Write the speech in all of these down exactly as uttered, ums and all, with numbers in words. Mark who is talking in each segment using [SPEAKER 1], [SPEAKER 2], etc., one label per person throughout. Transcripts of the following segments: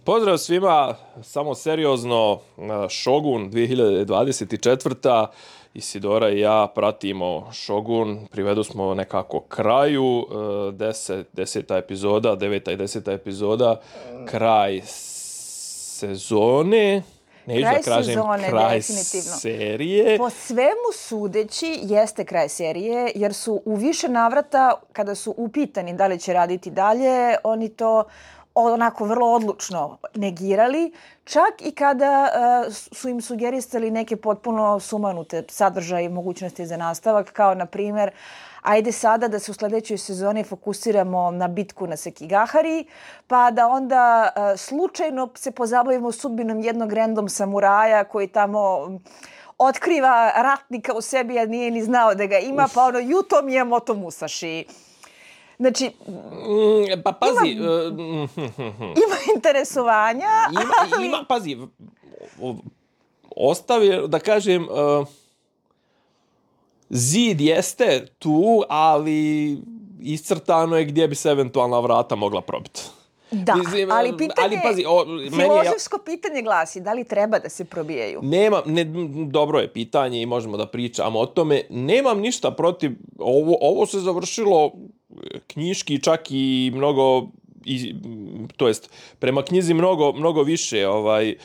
[SPEAKER 1] Pozdrav svima, samo seriozno, Shogun dvije hiljade dvadeset četvrta. Isidora i ja pratimo Shogun, privedu smo nekako kraju, deset, deseta epizoda, deveta i deseta epizoda, kraj sezone. Neću
[SPEAKER 2] kraj
[SPEAKER 1] da kažem
[SPEAKER 2] sezone,
[SPEAKER 1] kraj
[SPEAKER 2] definitivno.
[SPEAKER 1] serije.
[SPEAKER 2] Po svemu sudeći jeste kraj serije, jer su u više navrata, kada su upitani da li će raditi dalje, oni to onako vrlo odlučno negirali, čak i kada uh, su im sugerisali neke potpuno sumanute sadržaje i mogućnosti za nastavak, kao na primjer, ajde sada da se u sljedećoj sezoni fokusiramo na bitku na Sekigahari, pa da onda uh, slučajno se pozabavimo sudbinom jednog random samuraja koji tamo otkriva ratnika u sebi, a nije ni znao da ga ima, Uf. pa ono, Yuto Miyamoto Musashi. Znači,
[SPEAKER 1] mm, pa pazi,
[SPEAKER 2] ima,
[SPEAKER 1] uh,
[SPEAKER 2] ima interesovanja,
[SPEAKER 1] ima,
[SPEAKER 2] ali...
[SPEAKER 1] ima, pazi, ostavi, da kažem, uh, zid jeste tu, ali iscrtano je gdje bi se eventualna vrata mogla probiti.
[SPEAKER 2] Da, Mislim, ali pitanje,
[SPEAKER 1] ali, pazi, o,
[SPEAKER 2] filozofsko
[SPEAKER 1] meni
[SPEAKER 2] je, pitanje glasi, da li treba da se probijaju?
[SPEAKER 1] Nema, ne, dobro je pitanje i možemo da pričamo o tome. Nemam ništa protiv, ovo, ovo se završilo knjiški čak i mnogo, i, to jest prema knjizi mnogo, mnogo više ovaj, e,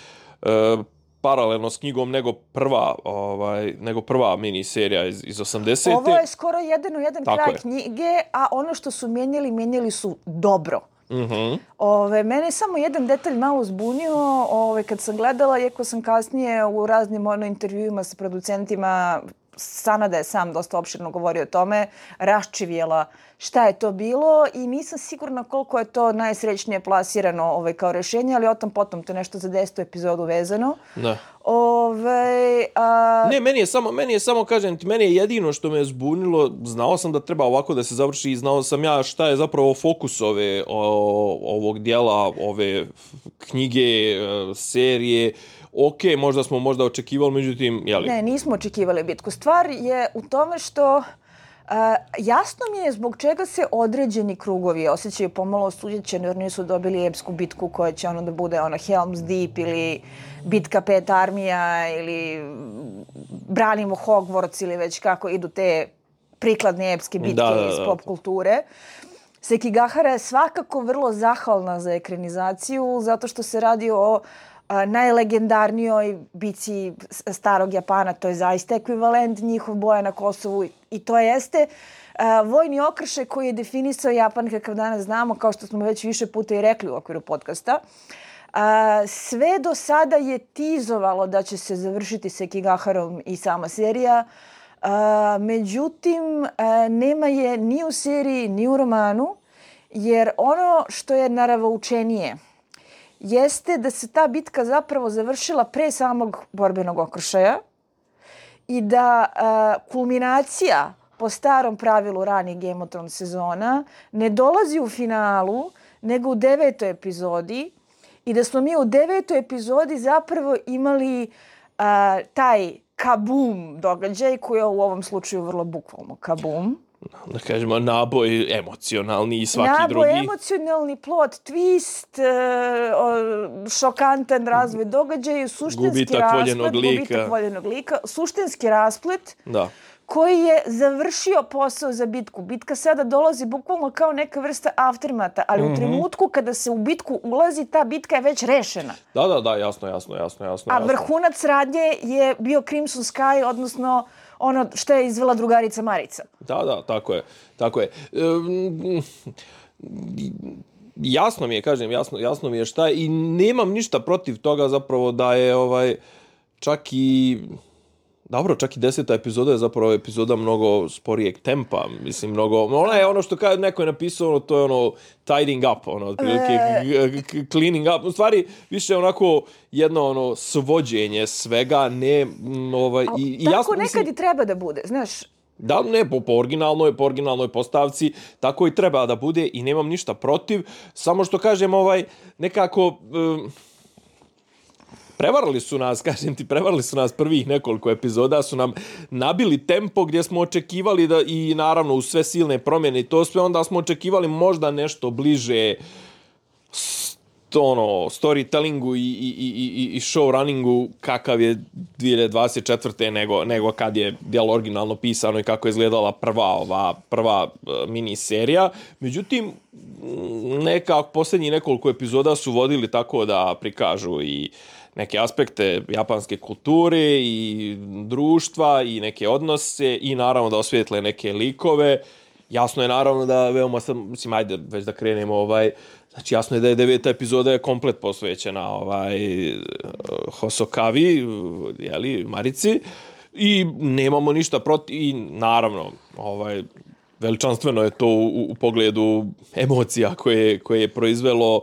[SPEAKER 1] paralelno s knjigom nego prva, ovaj, nego prva miniserija iz, iz osamdesete.
[SPEAKER 2] Ovo je skoro jedan u jedan
[SPEAKER 1] Tako
[SPEAKER 2] kraj
[SPEAKER 1] je.
[SPEAKER 2] knjige, a ono što su mijenjali, mijenjali su dobro.
[SPEAKER 1] Mm-hmm.
[SPEAKER 2] Ove, mene je samo jedan detalj malo zbunio ove, kad sam gledala, iako sam kasnije u raznim ono, intervjuima sa producentima, Sanada je sam dosta opširno govorio o tome, raščivjela šta je to bilo i nisam sigurna koliko je to najsrećnije plasirano ovaj, kao rješenje, ali o tom potom, to je nešto za desetu epizodu vezano.
[SPEAKER 1] Da.
[SPEAKER 2] Ove, a...
[SPEAKER 1] Ne, meni je samo, meni je samo, kažem ti, meni je jedino što me je zbunilo, znao sam da treba ovako da se završi i znao sam ja šta je zapravo fokus ove, o, ovog dijela, ove knjige, serije. Ok, možda smo možda očekivali, međutim, jeli?
[SPEAKER 2] Ne, nismo očekivali bitku. Stvar je u tome što uh, jasno mi je zbog čega se određeni krugovi osjećaju pomalo osuđećeni jer nisu dobili epsku bitku koja će ono da bude ono Helm's Deep ili bitka pet armija ili branimo Hogwarts ili već kako idu te prikladne epske bitke
[SPEAKER 1] da, da, da.
[SPEAKER 2] iz pop kulture. Sekigahara je svakako vrlo zahvalna za ekranizaciju zato što se radi o Uh, najlegendarnijoj bici starog Japana, to je zaista ekvivalent njihov boja na Kosovu i to jeste uh, vojni okršaj koji je definisao Japan kakav danas znamo, kao što smo već više puta i rekli u okviru podcasta. Uh, sve do sada je tizovalo da će se završiti Sekigaharom i sama serija, uh, međutim uh, nema je ni u seriji ni u romanu, jer ono što je naravoučenije jeste da se ta bitka zapravo završila pre samog borbenog okršaja i da uh, kulminacija po starom pravilu ranih Game of Thrones sezona ne dolazi u finalu, nego u devetoj epizodi i da smo mi u devetoj epizodi zapravo imali uh, taj kabum događaj koji je u ovom slučaju vrlo bukvalno kabum.
[SPEAKER 1] Da kažemo, naboj emocionalni i svaki
[SPEAKER 2] naboj
[SPEAKER 1] drugi.
[SPEAKER 2] Naboj emocionalni, plot, twist, uh, šokantan razvoj događaja, suštinski
[SPEAKER 1] gubitak
[SPEAKER 2] rasplet,
[SPEAKER 1] voljenog lika.
[SPEAKER 2] gubitak voljenog lika, suštinski rasplet
[SPEAKER 1] da.
[SPEAKER 2] koji je završio posao za bitku. Bitka sada dolazi bukvalno kao neka vrsta aftermata, ali mm-hmm. u trenutku kada se u bitku ulazi, ta bitka je već rešena.
[SPEAKER 1] Da, da, da, jasno, jasno, jasno. jasno
[SPEAKER 2] A vrhunac radnje je bio Crimson Sky, odnosno ono što je izvela drugarica Marica.
[SPEAKER 1] Da, da, tako je. Tako je. Um, jasno mi je, kažem, jasno, jasno mi je šta je i nemam ništa protiv toga zapravo da je ovaj čak i dobro, čak i deseta epizoda je zapravo epizoda mnogo sporijeg tempa, mislim, mnogo, ona je ono što kada neko je napisao, ono, to je ono tidying up, ono, otprilike e... cleaning up, u stvari više onako jedno ono svođenje svega, ne, ovaj, i, i
[SPEAKER 2] tako
[SPEAKER 1] jasno,
[SPEAKER 2] nekad mislim, i treba da bude, znaš.
[SPEAKER 1] Da, ne, po, po originalnoj, po originalnoj postavci, tako i treba da bude i nemam ništa protiv, samo što kažem, ovaj, nekako... Um, prevarili su nas, kažem ti, prevarili su nas prvih nekoliko epizoda, su nam nabili tempo gdje smo očekivali da i naravno uz sve silne promjene i to sve, onda smo očekivali možda nešto bliže ono, storytellingu i, i, i, i showrunningu kakav je dvije hiljade dvadeset četvrte nego, nego kad je djelo originalno pisano i kako je izgledala prva ova prva uh, miniserija. Međutim, nekako posljednjih nekoliko epizoda su vodili tako da prikažu i neke aspekte japanske kulture i društva i neke odnose i naravno da osvijetle neke likove. Jasno je naravno da veoma sam, mislim, ajde već da krenemo ovaj, znači jasno je da je deveta epizoda je komplet posvećena ovaj Hosokavi, jeli, Marici, i nemamo ništa protiv, i naravno, ovaj, veličanstveno je to u, u pogledu emocija koje, koje je proizvelo,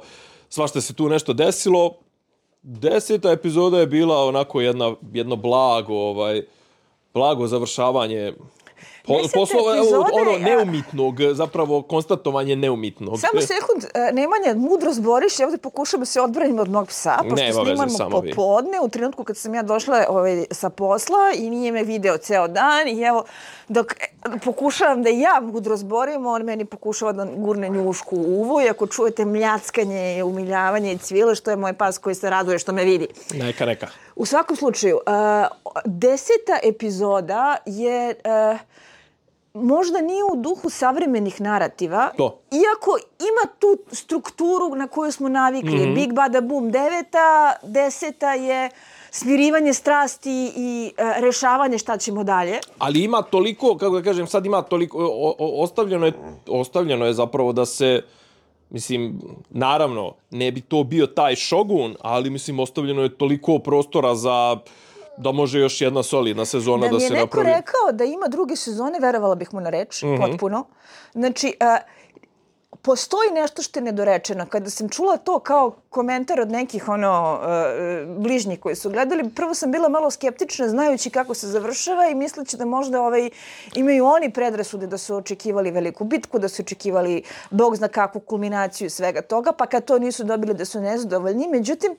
[SPEAKER 1] svašta se tu nešto desilo. Deseta epizoda je bila onako jedna, jedno blago, ovaj, blago završavanje Po, poslova,
[SPEAKER 2] epizode,
[SPEAKER 1] ono neumitnog, zapravo konstatovanje neumitnog.
[SPEAKER 2] Samo sekund, Nemanja, mudro zboriš, ja ovdje pokušam da se odbranim od mog psa, pošto snimamo popodne, u trenutku kad sam ja došla ovaj, sa posla i nije me video ceo dan i evo, dok pokušavam da ja mudro zborim, on meni pokušava da gurne njušku u uvo i ako čujete mljackanje, umiljavanje i cvile, što je moj pas koji se raduje što me vidi.
[SPEAKER 1] Neka, neka.
[SPEAKER 2] U svakom slučaju, uh, deseta epizoda je... Uh, možda nije u duhu savremenih narativa,
[SPEAKER 1] to.
[SPEAKER 2] Iako ima tu strukturu na koju smo navikli. Mm-hmm. Big Bada Boom deveta, deseta je smirivanje strasti i e, rešavanje šta ćemo dalje.
[SPEAKER 1] Ali ima toliko, kako da kažem, sad ima toliko, o, o, ostavljeno, je, ostavljeno je zapravo da se, mislim, naravno, ne bi to bio taj Shogun, ali mislim, ostavljeno je toliko prostora za... da može još jedna solidna sezona da, da se napravi.
[SPEAKER 2] Da mi je neko rekao da ima druge sezone, verovala bih mu na reč, mm-hmm. potpuno. Znači, uh, postoji nešto što je nedorečeno. Kada sam čula to kao komentar od nekih ono uh, bližnjih koji su gledali, prvo sam bila malo skeptična znajući kako se završava i misleći da možda ovaj, imaju oni predrasude da su očekivali veliku bitku, da su očekivali Bog zna kakvu kulminaciju svega toga, pa kad to nisu dobili da su nezadovoljni. Međutim,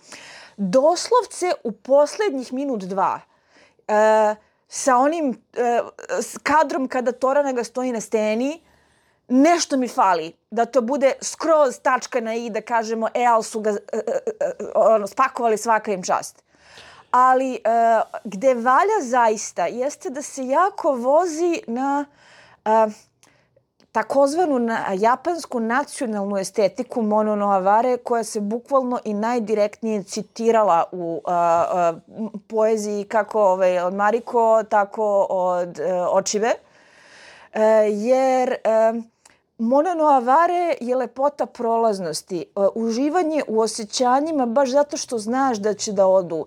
[SPEAKER 2] doslovce u posljednjih minut dva e, sa onim e, s kadrom kada Toranaga stoji na steni, nešto mi fali. Da to bude skroz tačka na i, da kažemo, e, ali su ga e, e, ono, spakovali, svaka im čast. Ali e, gde valja zaista jeste da se jako vozi na... E, takozvanu na japansku nacionalnu estetiku Mono no Aware, koja se bukvalno i najdirektnije citirala u uh, uh, poeziji kako ovaj, od Mariko, tako od uh, Očive. Uh, jer uh, Mono no Aware je lepota prolaznosti, uh, uživanje u osjećanjima baš zato što znaš da će da odu. Uh,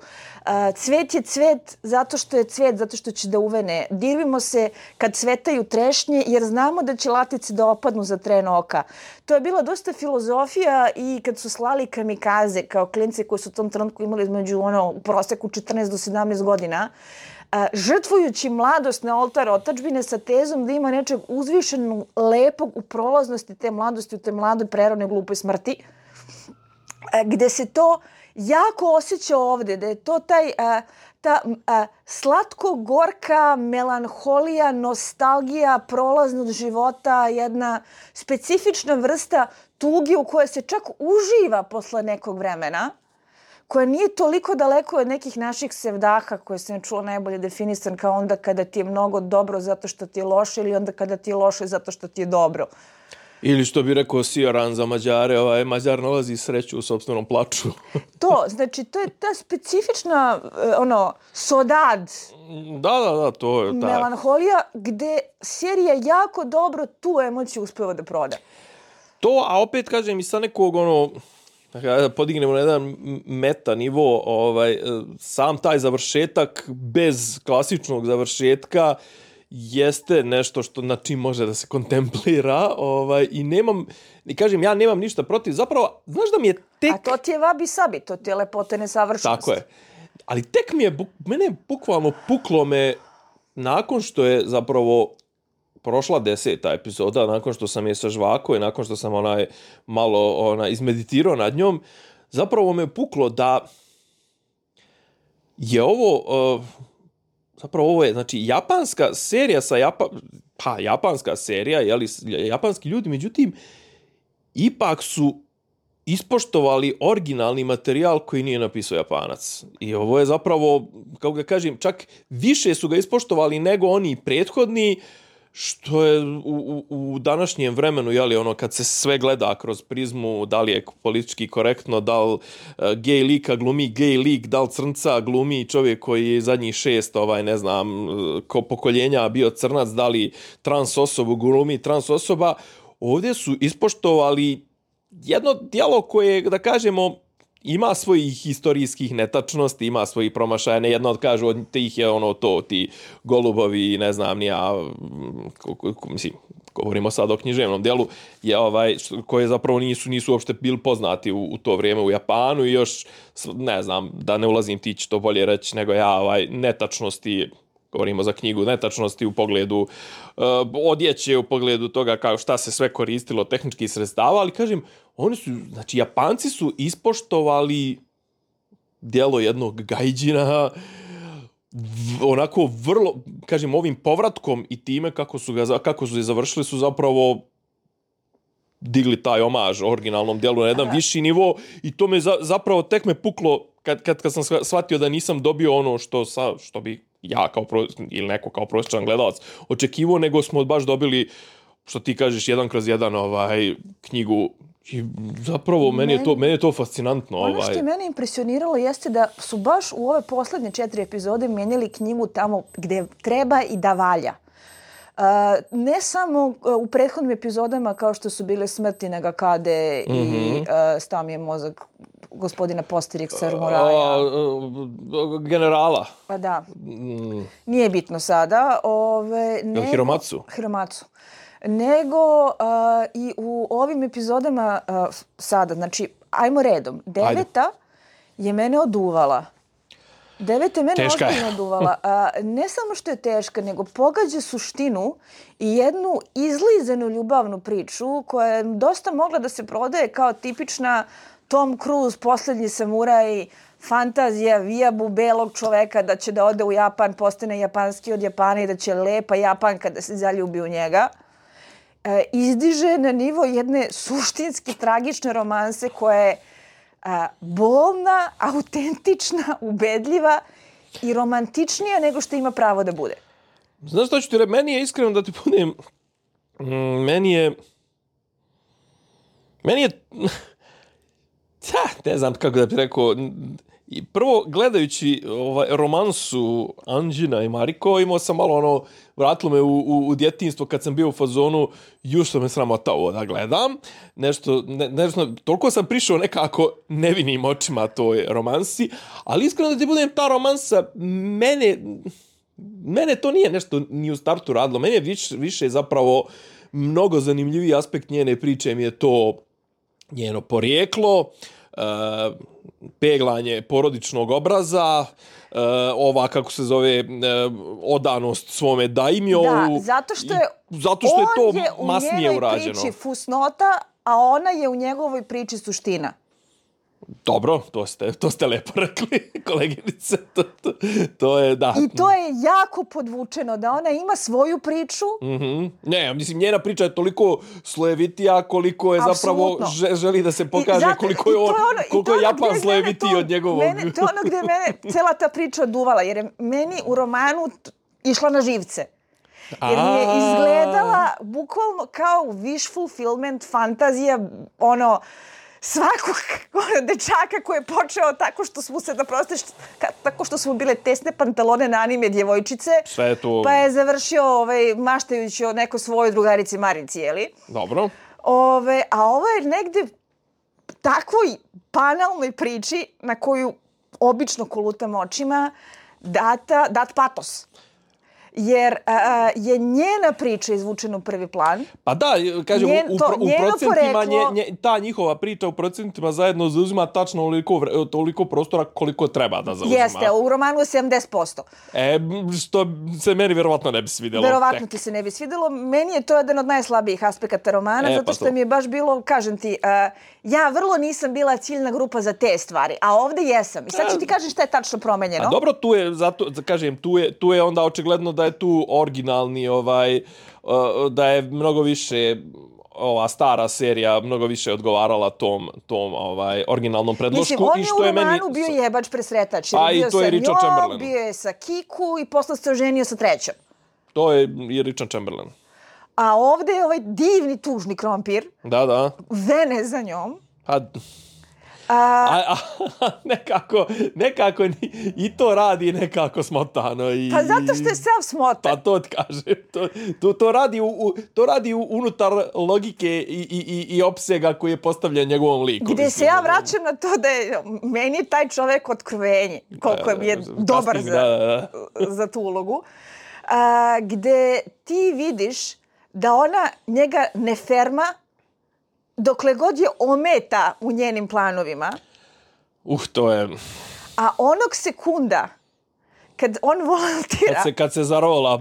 [SPEAKER 2] cvet je cvet zato što je cvet, zato što će da uvene. Dirvimo se kad cvetaju trešnje jer znamo da će latice da opadnu za tren oka. To je bila dosta filozofija i kad su slali kamikaze kao klince koji su u tom trenutku imali između ono, u proseku četrnaest do sedamnaest godina, Uh, žrtvujući mladost na oltar otadžbine sa tezom da ima nečeg uzvišenog, lepog u prolaznosti te mladosti, u te mladoj, prerodnoj, glupoj smrti, uh, gde se to jako osjeća ovdje, da je to taj, uh, ta uh, slatko-gorka melanholija, nostalgija, prolaznost života, jedna specifična vrsta tuge u kojoj se čak uživa posle nekog vremena, koja nije toliko daleko od nekih naših sevdaha koje sam čula najbolje definisan kao onda kada ti je mnogo dobro zato što ti je loše ili onda kada ti je loše zato što ti je dobro.
[SPEAKER 1] Ili što bi rekao Sioran za Mađare, ovaj, Mađar nalazi sreću u sopstvenom plaču.
[SPEAKER 2] To, znači, to je ta specifična, ono, sodad.
[SPEAKER 1] Da, da, da, to je.
[SPEAKER 2] Melanholija, gde serija jako dobro tu emociju uspeva da proda.
[SPEAKER 1] To, a opet kažem i sa nekog, ono, da podignemo na jedan meta nivo, ovaj, sam taj završetak bez klasičnog završetka jeste nešto što na čim može da se kontemplira, ovaj, i nemam, i kažem, ja nemam ništa protiv, zapravo, znaš da mi je tek...
[SPEAKER 2] A to ti je vabi sabi, to ti je lepote nesavršenosti.
[SPEAKER 1] Tako je. Ali tek mi je, mene je bukvalno puklo me, nakon što je zapravo prošla deseta epizoda, nakon što sam je sažvako i nakon što sam onaj malo ona, izmeditirao nad njom, zapravo me je puklo da je ovo, uh, zapravo ovo je, znači, japanska serija sa Japa, pa, japanska serija, jeli, japanski ljudi, međutim, ipak su ispoštovali originalni materijal koji nije napisao Japanac. I ovo je zapravo, kako ga kažem, čak više su ga ispoštovali nego oni prethodni, što je u, u, u današnjem vremenu, jeli, ono, kad se sve gleda kroz prizmu, da li je politički korektno, da li uh, gej lika glumi gej lik, da li crnca glumi čovjek koji je zadnjih šest, ovaj, ne znam, ko pokoljenja bio crnac, da li trans osobu glumi trans osoba, ovdje su ispoštovali jedno djelo koje, da kažemo, ima svojih historijskih netačnosti, ima svojih promašaja. Ne jedna od kažu od tih je ono to, ti golubovi, ne znam, ni ja, mislim, govorimo sad o književnom djelu, je ovaj, koje zapravo nisu, nisu uopšte bili poznati u, u to vrijeme u Japanu i još, ne znam, da ne ulazim, ti će to bolje reći nego ja, ovaj, netačnosti, govorimo za knjigu, netačnosti u pogledu uh, odjeće, u pogledu toga kao šta se sve koristilo tehničkih sredstava, ali kažem, oni su, znači Japanci su ispoštovali djelo jednog gajđina v, onako vrlo, kažem, ovim povratkom i time kako su ga kako su je završili su zapravo digli taj omaž originalnom djelu na jedan Aha. viši nivo i to me za, zapravo tek me puklo kad, kad, kad sam shvatio da nisam dobio ono što, sa, što bi ja kao pro, ili neko kao prosječan gledalac očekivao, nego smo baš dobili, što ti kažeš, jedan kroz jedan ovaj, knjigu. I zapravo, meni je to, meni je to fascinantno.
[SPEAKER 2] Ono
[SPEAKER 1] ovaj.
[SPEAKER 2] što je mene impresioniralo jeste da su baš u ove posljednje četiri epizode mijenjali knjigu tamo gdje treba i da valja. Uh, ne samo u prethodnim epizodama kao što su bile Smrti Nagakade mm-hmm. i uh, stao mi je mozak gospodina Posteriksa Moraja.
[SPEAKER 1] Uh, generala.
[SPEAKER 2] Pa da. Mm. Nije bitno sada. Ove, nego,
[SPEAKER 1] Hiromatsu.
[SPEAKER 2] Hiromatsu. Nego uh, i u ovim epizodama uh, sada, znači, ajmo redom. Deveta Ajde. je mene oduvala. Deveta je mene
[SPEAKER 1] teška
[SPEAKER 2] ozbiljno oduvala. Uh, ne samo što je teška, nego pogađa suštinu i jednu izlizanu ljubavnu priču koja je dosta mogla da se prodaje kao tipična Tom Cruise, Posljednji samuraj, fantazija vijabu belog čoveka da će da ode u Japan, postane japanski od Japana i da će lepa Japanka da se zaljubi u njega. E, izdiže na nivo jedne suštinski tragične romanse koja je a, bolna, autentična, ubedljiva i romantičnija nego što ima pravo da bude.
[SPEAKER 1] Znaš što ću ti reći? Meni je iskreno da ti budem... Mm, meni je... Meni je... ne znam kako da ti rekao... Prvo, gledajući ovaj romansu Anđina i Mariko, imao sam malo ono, vratilo me u, u, u djetinjstvo kad sam bio u fazonu, još sam me sramota ovo da gledam. Nešto, ne, nešto, toliko sam prišao nekako nevinim očima toj romansi, ali iskreno da ti budem, ta romansa, mene, mene to nije nešto ni u startu radilo. Mene je više, više zapravo mnogo zanimljiviji aspekt njene priče mi je to njeno porijeklo, uh, peglanje porodičnog obraza, uh, ova, kako se zove, uh, odanost svome daimjovu.
[SPEAKER 2] Da, zato što je,
[SPEAKER 1] zato što je to masnije urađeno.
[SPEAKER 2] On je u njenoj priči fusnota, a ona je u njegovoj priči suština.
[SPEAKER 1] Dobro, to ste, to ste lepo rekli, koleginice. To, to, to je, da.
[SPEAKER 2] I to je jako podvučeno, da ona ima svoju priču.
[SPEAKER 1] Mm-hmm. Ne, mislim, njena priča je toliko slojevitija koliko je Absolutno. zapravo želi da se pokaže zato, koliko je, on, ono, koliko je Japan slojevitiji od njegovog.
[SPEAKER 2] Mene, to je ono gdje je mene cela ta priča oduvala, jer je meni u romanu išla na živce. Jer mi je izgledala bukvalno kao wish fulfillment, fantazija, ono... svakog dečaka koji je počeo tako što smo se da prostiš, tako što smo bile tesne pantalone na anime djevojčice,
[SPEAKER 1] sve to...
[SPEAKER 2] pa je završio ovaj, maštajući o neko svojoj drugarici Marinci, jeli?
[SPEAKER 1] Dobro.
[SPEAKER 2] Ove, a ovo je negde takvoj banalnoj priči na koju obično kolutam očima data, dat patos. Jer a, je njena priča izvučena u prvi plan.
[SPEAKER 1] Pa da, kažem, Njen, to, u, u procentima nje, nje, ta njihova priča u procentima zajedno zauzima tačno toliko, toliko prostora koliko treba da zauzima.
[SPEAKER 2] Jeste, u romanu je sedamdeset posto.
[SPEAKER 1] E, što se meni vjerovatno ne bi svidjelo.
[SPEAKER 2] Vjerovatno ti se ne bi svidjelo. Meni je to jedan od najslabijih aspekata romana, e, zato što pa mi je baš bilo, kažem ti, uh, ja vrlo nisam bila ciljna grupa za te stvari, a ovdje jesam. I sad ću ti kažem šta je tačno promenjeno.
[SPEAKER 1] A dobro, tu je, zato, kažem, tu je, tu je onda očigledno da je tu originalni, ovaj, uh, da je mnogo više ova stara serija mnogo više odgovarala tom, tom ovaj, originalnom predlošku.
[SPEAKER 2] Mislim, on
[SPEAKER 1] i
[SPEAKER 2] je
[SPEAKER 1] što
[SPEAKER 2] u
[SPEAKER 1] je
[SPEAKER 2] romanu
[SPEAKER 1] meni...
[SPEAKER 2] bio jebač presretač.
[SPEAKER 1] A i
[SPEAKER 2] bio
[SPEAKER 1] to je
[SPEAKER 2] sa
[SPEAKER 1] Richard
[SPEAKER 2] njom,
[SPEAKER 1] Chamberlain.
[SPEAKER 2] bio je sa Kiku i posle se oženio sa trećom.
[SPEAKER 1] To je i Richard Chamberlain.
[SPEAKER 2] A ovde je ovaj divni tužni krompir.
[SPEAKER 1] Da, da.
[SPEAKER 2] Vene za njom.
[SPEAKER 1] A... A, a, a nekako, nekako i to radi nekako smotano. I,
[SPEAKER 2] pa zato što je sav smotan.
[SPEAKER 1] Pa to ti kažem. To, to, to, radi, u, u, to radi u, unutar logike i, i, i, i opsega koji je postavljen njegovom liku.
[SPEAKER 2] Gde
[SPEAKER 1] mislim,
[SPEAKER 2] se ja vraćam na to da je meni je taj čovek otkrovenje. Koliko je dobar
[SPEAKER 1] kasting,
[SPEAKER 2] za,
[SPEAKER 1] da, da.
[SPEAKER 2] za tu ulogu. A, gde ti vidiš da ona njega ne ferma dokle god je ometa u njenim planovima.
[SPEAKER 1] Uh, to je...
[SPEAKER 2] A onog sekunda kad on volontira...
[SPEAKER 1] Kad se, kad se zarola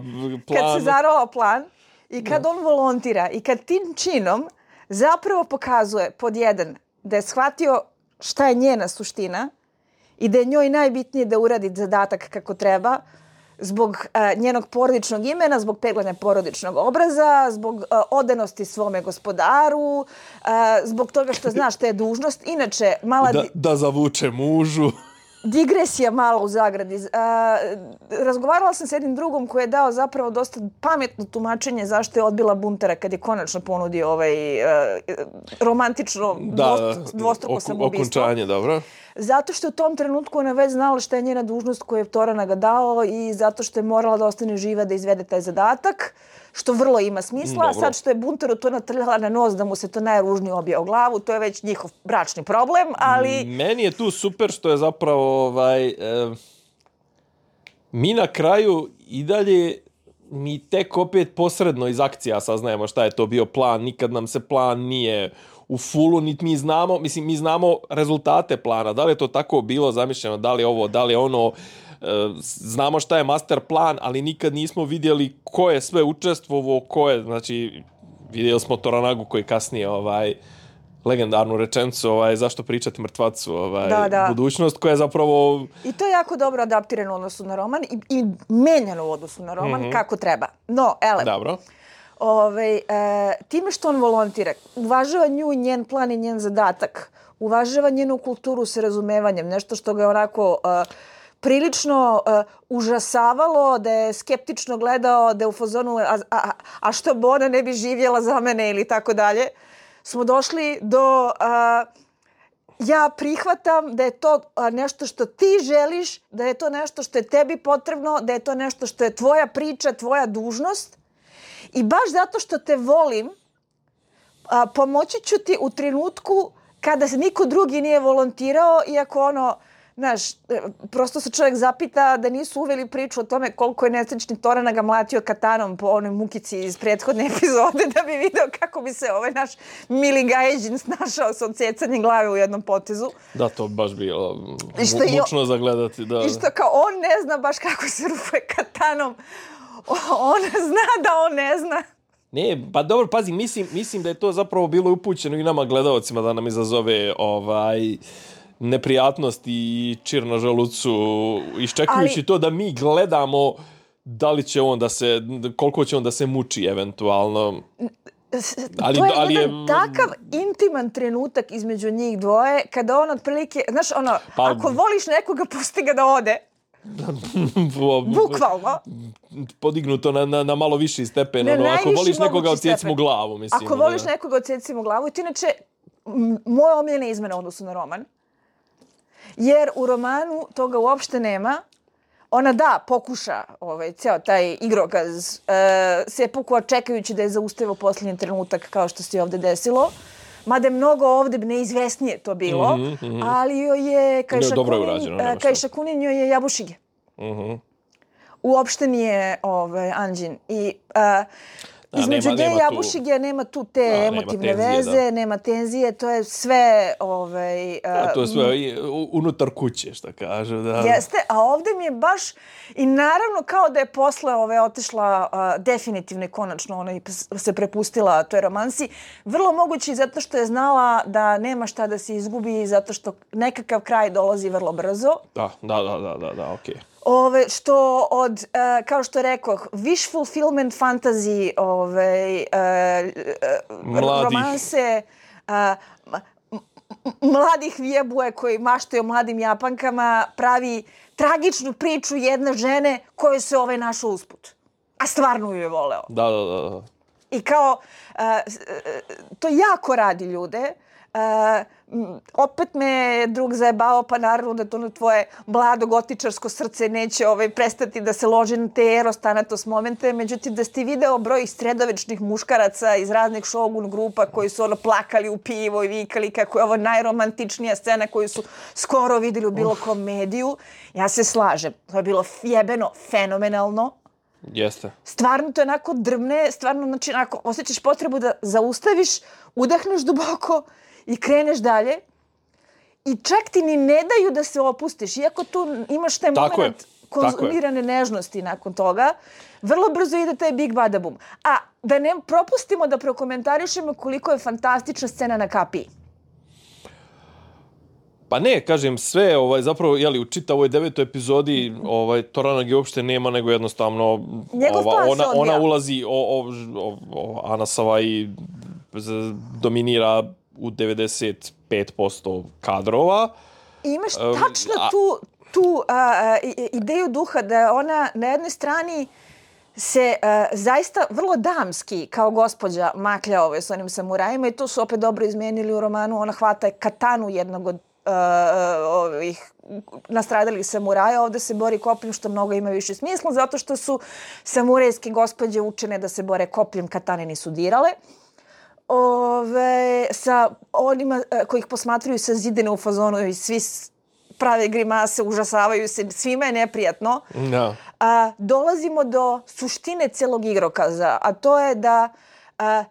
[SPEAKER 1] plan...
[SPEAKER 2] Kad se zarola plan i kad da. on volontira i kad tim činom zapravo pokazuje pod jedan da je shvatio šta je njena suština i da je njoj najbitnije da uradi zadatak kako treba, zbog uh, njenog porodičnog imena, zbog peglanja porodičnog obraza, zbog uh, odanosti svome gospodaru, uh, zbog toga što zna šta je dužnost. Inače, mala...
[SPEAKER 1] Da, da zavuče mužu.
[SPEAKER 2] Digresija malo u zagradi. Uh, razgovarala sam s jednim drugom koji je dao zapravo dosta pametno tumačenje zašto je odbila buntara kad je konačno ponudio ovaj uh, romantično
[SPEAKER 1] da,
[SPEAKER 2] dvost, dvostruko oku, samoubistvo.
[SPEAKER 1] Okončanje, dobro.
[SPEAKER 2] Zato što u tom trenutku ona već znala šta je njena dužnost koju je Torana ga dao i zato što je morala da ostane živa da izvede taj zadatak, što vrlo ima smisla. A sad što je buntaru to natrljala na nos da mu se to najružnije obije o glavu, to je već njihov bračni problem, ali...
[SPEAKER 1] Meni je tu super što je zapravo ovaj, eh, mi na kraju i dalje mi tek opet posredno iz akcija saznajemo šta je to bio plan. Nikad nam se plan nije u fullu, niti mi znamo, mislim, mi znamo rezultate plana. Da li je to tako bilo zamišljeno, da li je ovo, da li je ono, e, znamo šta je master plan, ali nikad nismo vidjeli ko je sve učestvovao, ko je, znači, vidjeli smo Toranagu koji kasnije, ovaj, legendarnu rečenicu, ovaj, zašto pričati mrtvacu, ovaj,
[SPEAKER 2] da, da.
[SPEAKER 1] budućnost koja je zapravo...
[SPEAKER 2] I to je jako dobro adaptirano u odnosu na roman i, i menjano u odnosu na roman, mm-hmm. kako treba. No, ele,
[SPEAKER 1] dobro.
[SPEAKER 2] Ove, e, time što on volontira, uvažava nju i njen plan i njen zadatak, uvažava njenu kulturu sa razumevanjem, nešto što ga je onako e, prilično e, užasavalo, da je skeptično gledao, da je u fazonu, a, a, a što bo ona ne bi živjela za mene ili tako dalje, smo došli do... A, ja prihvatam da je to nešto što ti želiš, da je to nešto što je tebi potrebno, da je to nešto što je tvoja priča, tvoja dužnost. I baš zato što te volim, a, pomoći ću ti u trenutku kada se niko drugi nije volontirao, iako ono, znaš, prosto se čovjek zapita da nisu uveli priču o tome koliko je nesrećni Torana ga mlatio katanom po onoj mukici iz prethodne epizode da bi video kako bi se ovaj naš mili Gajeđin snašao sa odsjecanjem glave u jednom potezu.
[SPEAKER 1] Da, to baš bilo mu, mučno za gledati. Da.
[SPEAKER 2] I što kao on ne zna baš kako se rupuje katanom, on zna da on ne zna.
[SPEAKER 1] Ne, pa dobro, pazi, mislim, mislim da je to zapravo bilo upućeno i nama gledalcima da nam izazove ovaj... neprijatnost i čir na želucu, iščekujući ali... to da mi gledamo da li će on da se, koliko će on da se muči eventualno.
[SPEAKER 2] Ali, to je ali jedan je... takav intiman trenutak između njih dvoje, kada on otprilike, znaš, ono, pa... ako voliš nekoga, pusti ga da ode. Bukvalno.
[SPEAKER 1] Podignuto na, na, na malo viši stepen.
[SPEAKER 2] Na
[SPEAKER 1] ono, ako voliš nekoga, odsjeci mu glavu. Mislim,
[SPEAKER 2] ako voliš da... nekoga, odsjeci mu glavu. I to inače, moje omiljene izmene odnosu na roman. Jer u romanu toga uopšte nema. Ona da, pokuša ovaj, ceo taj igrokaz e, sepukua čekajući da je zaustavio posljednji trenutak kao što se ovdje desilo. Mada je mnogo ovdje neizvesnije to bilo. Mm-hmm, mm-hmm. Ali joj je Kajša Kunin joj je jabušige. Mm-hmm. Uopšte nije ovaj, Anđin. I... A, između nje i Jabušige nema tu te a, emotivne nema tenzije, veze, da. Nema tenzije, to je sve... Ovaj, uh,
[SPEAKER 1] a to je sve unutar kuće, što kažu. Da.
[SPEAKER 2] Jeste, a ovdje mi je baš... I naravno kao da je posle ove otišla uh, definitivno i konačno ona se prepustila toj romansi. Vrlo moguće zato što je znala da nema šta da se izgubi, zato što nekakav kraj dolazi vrlo brzo.
[SPEAKER 1] Da, da, da, da, da, da okej. Okay.
[SPEAKER 2] ove, što od, uh, kao što rekoh, wish fulfillment fantasy, ove, uh, romanse, uh, mladih vjebuje koji maštaju o mladim Japankama, pravi tragičnu priču jedne žene koju se ovaj našao usput. A stvarno ju je voleo.
[SPEAKER 1] Da, da, da.
[SPEAKER 2] I kao, uh, to jako radi ljude. Uh, opet me drug zajebao, pa naravno da to na tvoje mlado gotičarsko srce neće ovaj, prestati da se loži na te eros thanatos momente. Međutim, da ste video broj sredovečnih muškaraca iz raznih Shogun grupa koji su ono plakali u pivo i vikali kako je ovo najromantičnija scena koju su skoro videli u bilo komediju. Ja se slažem. To je bilo jebeno fenomenalno.
[SPEAKER 1] Jeste.
[SPEAKER 2] Stvarno to je onako drmne, stvarno znači onako osjećaš potrebu da zaustaviš, udahneš duboko i kreneš dalje. I čak ti ni ne daju da se opustiš. Iako tu imaš taj
[SPEAKER 1] tako
[SPEAKER 2] moment
[SPEAKER 1] je.
[SPEAKER 2] konzumirane nežnosti nakon toga, vrlo brzo ide taj big badabum. A da ne propustimo da prokomentarišemo koliko je fantastična scena na kapiji.
[SPEAKER 1] Pa ne, kažem, sve, ovaj, zapravo, jeli, u čitavoj devetoj epizodi ovaj, Toranagi uopšte nema, nego jednostavno ova, ona, ona ulazi, o, o, o, o, Ana Savai dominira u devedeset pet posto kadrova.
[SPEAKER 2] I imaš tačno um, tu, tu a, ideju duha da ona na jednoj strani se uh, zaista vrlo damski kao gospođa maklja ove s onim samurajima i to su opet dobro izmijenili u romanu. Ona hvata katanu jednog od uh, ovih nastradalih samuraja. Ovdje se bori kopljem što mnogo ima više smisla zato što su samurajske gospođe učene da se bore kopljem, katane nisu dirale. Ove, sa onima koji ih posmatruju sa zidine u fazonu i svi prave grimase, užasavaju se, svima je neprijatno.
[SPEAKER 1] No.
[SPEAKER 2] A, dolazimo do suštine celog igrokaza, a to je da a,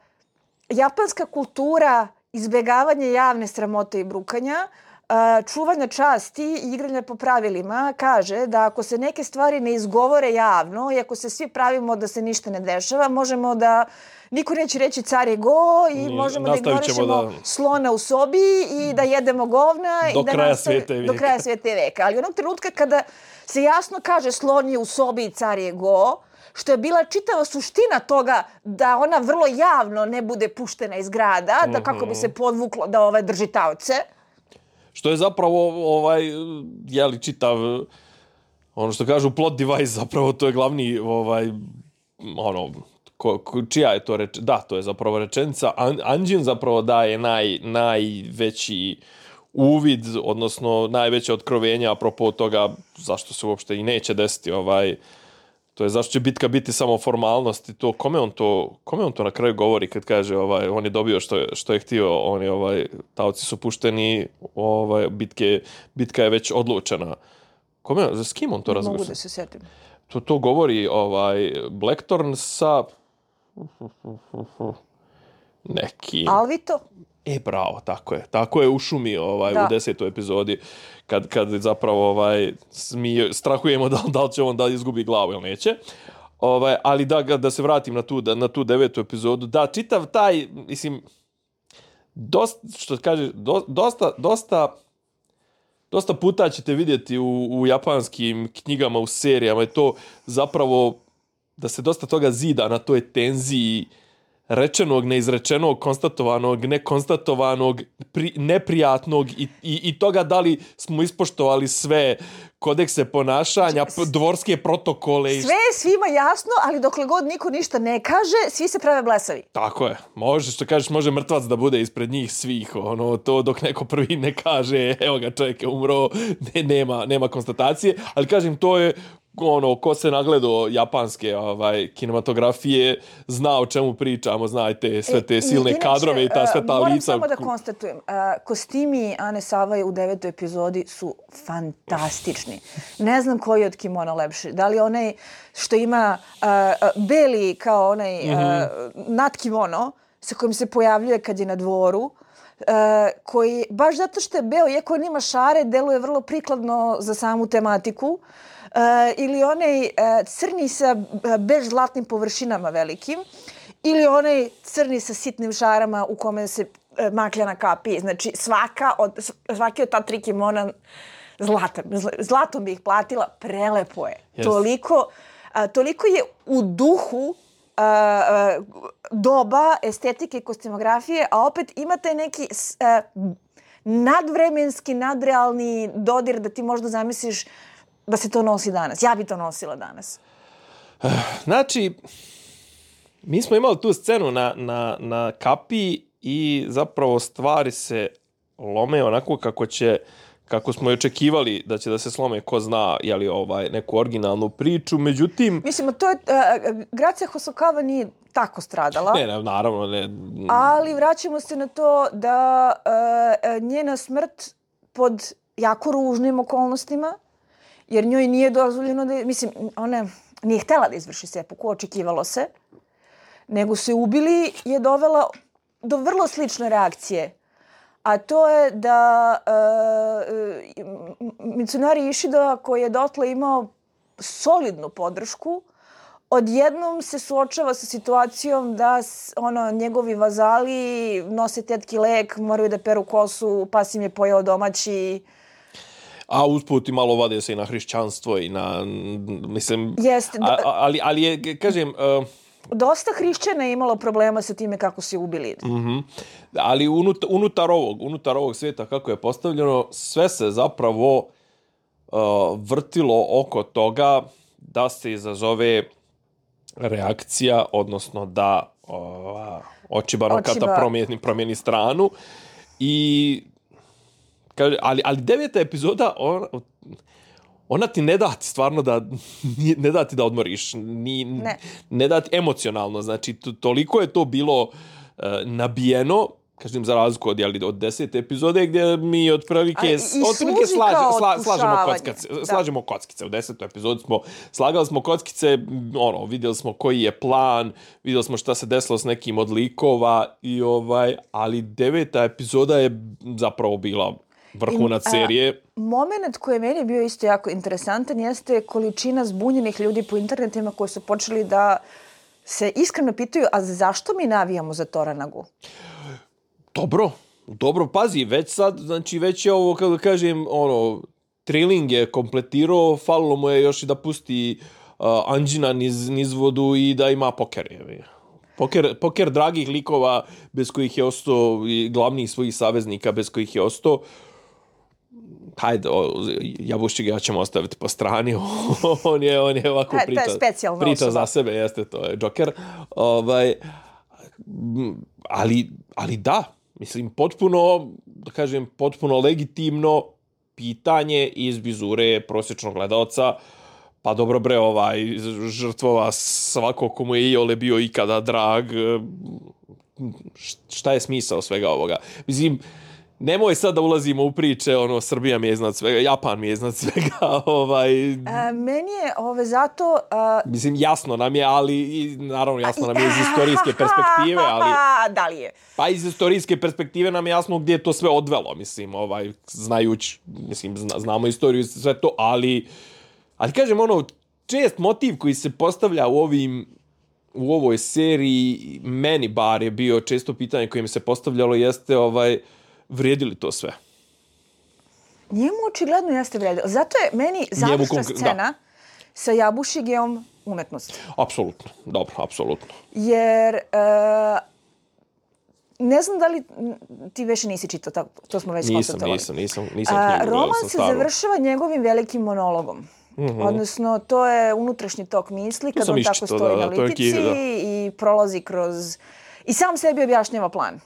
[SPEAKER 2] japanska kultura izbjegavanja javne sramote i brukanja, a, čuvanja časti i igranja po pravilima kaže da ako se neke stvari ne izgovore javno i ako se svi pravimo da se ništa ne dešava, možemo da niko neće reći car je go i možemo da ignorišemo da... slona u sobi i da jedemo govna
[SPEAKER 1] do
[SPEAKER 2] i da
[SPEAKER 1] kraja
[SPEAKER 2] nastavi,
[SPEAKER 1] svijete veka.
[SPEAKER 2] do kraja svijete veka. Ali onog trenutka kada se jasno kaže slon je u sobi i car je go, što je bila čitava suština toga da ona vrlo javno ne bude puštena iz grada, da kako bi se podvuklo da ovaj drži taoce.
[SPEAKER 1] Što je zapravo ovaj, jeli, čitav, ono što kažu plot device, zapravo to je glavni, ovaj, ono, Ko, ko, čija je to reč... Da, to je zapravo rečenica. An, Anđin zapravo daje naj, najveći uvid, odnosno najveće otkrovenja apropo toga zašto se uopšte i neće desiti. Ovaj, to je zašto će bitka biti samo formalnost i to kome on to, kome on to na kraju govori kad kaže ovaj, on je dobio što je, što je htio, oni, ovaj, taoci su pušteni, ovaj, bitke, bitka je već odlučena. Kome, s kim on to razgovara?
[SPEAKER 2] Mogu da se sjetim.
[SPEAKER 1] To, to govori ovaj, Blackthorn sa neki...
[SPEAKER 2] Alvito?
[SPEAKER 1] E, bravo, tako je. Tako je u šumi ovaj, u desetoj epizodi kad, kad zapravo ovaj, mi strahujemo da, da li će on da izgubi glavu ili neće. Ovaj, ali da, da se vratim na tu, na tu devetu epizodu. Da, čitav taj, mislim, dosta, što kaže, do, dosta, dosta, dosta puta ćete vidjeti u, u japanskim knjigama, u serijama, je to zapravo da se dosta toga zida na toj tenziji rečenog, neizrečenog, konstatovanog, nekonstatovanog, pri, neprijatnog i, i, i toga da li smo ispoštovali sve kodekse ponašanja, dvorske protokole.
[SPEAKER 2] Sve je svima jasno, ali dokle god niko ništa ne kaže, svi se prave blesavi.
[SPEAKER 1] Tako je. Može, što kažeš, može mrtvac da bude ispred njih svih. Ono, to dok neko prvi ne kaže, evo ga, čovjek je umro, ne, nema, nema konstatacije. Ali kažem, to je ono, ko se nagledao japanske ovaj, kinematografije, zna o čemu pričamo, znajte sve te silne
[SPEAKER 2] Inače,
[SPEAKER 1] kadrove i ta sve ta
[SPEAKER 2] moram
[SPEAKER 1] lica.
[SPEAKER 2] Moram samo da konstatujem, uh, kostimi Ane Savai u devetoj epizodi su fantastični. Ne znam koji od kimona lepši. Da li onaj što ima uh, beli kao onaj uh, mm-hmm. nadkimono sa kojim se pojavljuje kad je na dvoru, uh, koji baš zato što je beo, iako on ima šare, deluje vrlo prikladno za samu tematiku. Uh, ili onaj uh, crni sa uh, bež zlatnim površinama velikim, ili onaj crni sa sitnim šarama u kome se uh, maklja na kapiji. Znači, svaka od, svaki od ta tri kimona zlatan, zlatom bi ih platila, prelepo je.
[SPEAKER 1] Yes.
[SPEAKER 2] Toliko, a, toliko je u duhu a, a, doba, estetike, kostimografije, a opet ima taj neki a, nadvremenski, nadrealni dodir da ti možda zamisliš da se to nosi danas. Ja bi to nosila danas.
[SPEAKER 1] Znači, mi smo imali tu scenu na, na, na kapiji i zapravo stvari se lome onako kako će, kako smo i očekivali da će da se slome, ko zna, jeli, ovaj, neku originalnu priču, međutim...
[SPEAKER 2] Mislim, to je, uh, Gracia Hosokawa nije tako stradala.
[SPEAKER 1] Ne, ne, naravno, ne.
[SPEAKER 2] Ali vraćamo se na to da uh, njena smrt pod jako ružnim okolnostima, jer njoj nije dozvoljeno da... Mislim, ona nije htjela da izvrši sepuku, očekivalo se, nego se ubili, je dovela do vrlo slične reakcije. A to je da uh, Mitsunari Ishida, koji je dotle imao solidnu podršku, odjednom se suočava sa situacijom da ono, njegovi vazali nose tetki lek, moraju da peru kosu, pas im je pojeo domaći.
[SPEAKER 1] A usput i malo vade se i na hrišćanstvo i na, mislim...
[SPEAKER 2] Jeste.
[SPEAKER 1] A, ali, ali je, kažem... Uh,
[SPEAKER 2] Dosta hrišćana je imalo problema sa time kako se ubili.
[SPEAKER 1] Mm-hmm. Ali unutar, unutar, ovog, unutar ovog svijeta kako je postavljeno, sve se zapravo uh, vrtilo oko toga da se izazove reakcija, odnosno da uh, Ochiba Kata promijeni, promijeni stranu. I, kaže, ali, ali deveta epizoda... On, ona ti ne da ti stvarno da, ne da ti da odmoriš, ni, ne. ne da ti emocionalno, znači to, toliko je to bilo uh, nabijeno, kažem za razliku od, jeli, od desete epizode gdje mi otprilike, otprilike slaž, sla, slažemo kockice, slažemo kockice, u desetoj epizodi smo, slagali smo kockice, ono, vidjeli smo koji je plan, vidjeli smo šta se desilo s nekim od likova, i ovaj, ali deveta epizoda je zapravo bila vrhunac serije.
[SPEAKER 2] Moment koji je meni bio isto jako interesantan jeste količina zbunjenih ljudi po internetima koji su počeli da se iskreno pitaju, a zašto mi navijamo za Toranagu?
[SPEAKER 1] Dobro, dobro, pazi, već sad, znači već je ovo, kako kažem, ono, trailing je kompletirao, falilo mu je još i da pusti uh, Anđina niz, niz vodu i da ima poker. Je. Poker, poker dragih likova bez kojih je ostao, i glavnih svojih saveznika bez kojih je ostao. Hajde, Jabuščika ja ćemo ostaviti po strani. on je on je ovako priča. Priča za sebe, jeste, to je Joker. Ovaj, ali, ali da, mislim, potpuno, da kažem, potpuno legitimno pitanje iz vizure prosječnog gledaoca. Pa dobro bre, ovaj, žrtvova svako komu je iole bio ikada drag. Šta je smisao svega ovoga? Mislim, nemoj sad da ulazimo u priče, ono, Srbija mi je iznad svega, Japan mi je iznad svega, ovaj...
[SPEAKER 2] A, meni je ove zato... A...
[SPEAKER 1] Mislim, jasno nam je, ali, i, naravno, jasno nam je iz istorijske perspektive, ali...
[SPEAKER 2] Da li je?
[SPEAKER 1] Pa iz istorijske perspektive nam je jasno gdje je to sve odvelo, mislim, ovaj, znajući, mislim, zna, znamo istoriju i sve to, ali... Ali, kažem, ono, čest motiv koji se postavlja u ovim... u ovoj seriji, meni bar je bio često pitanje koje mi se postavljalo, jeste, ovaj... vrijedili to sve?
[SPEAKER 2] Njemu očigledno jeste vrijedilo. Zato je meni završna konkr- scena da. sa Jabušigijom umetnost.
[SPEAKER 1] Apsolutno, dobro, apsolutno.
[SPEAKER 2] Jer uh, ne znam da li ti već nisi čitao, tako, to smo već konstatovali.
[SPEAKER 1] Nisam, nisam, nisam, nisam knjigu.
[SPEAKER 2] Uh, roman se staru. završava njegovim velikim monologom. Mm-hmm. Odnosno, to je unutrašnji tok misli, kad on tako stoji da, na litici i prolazi kroz... I sam sebi objašnjava plan.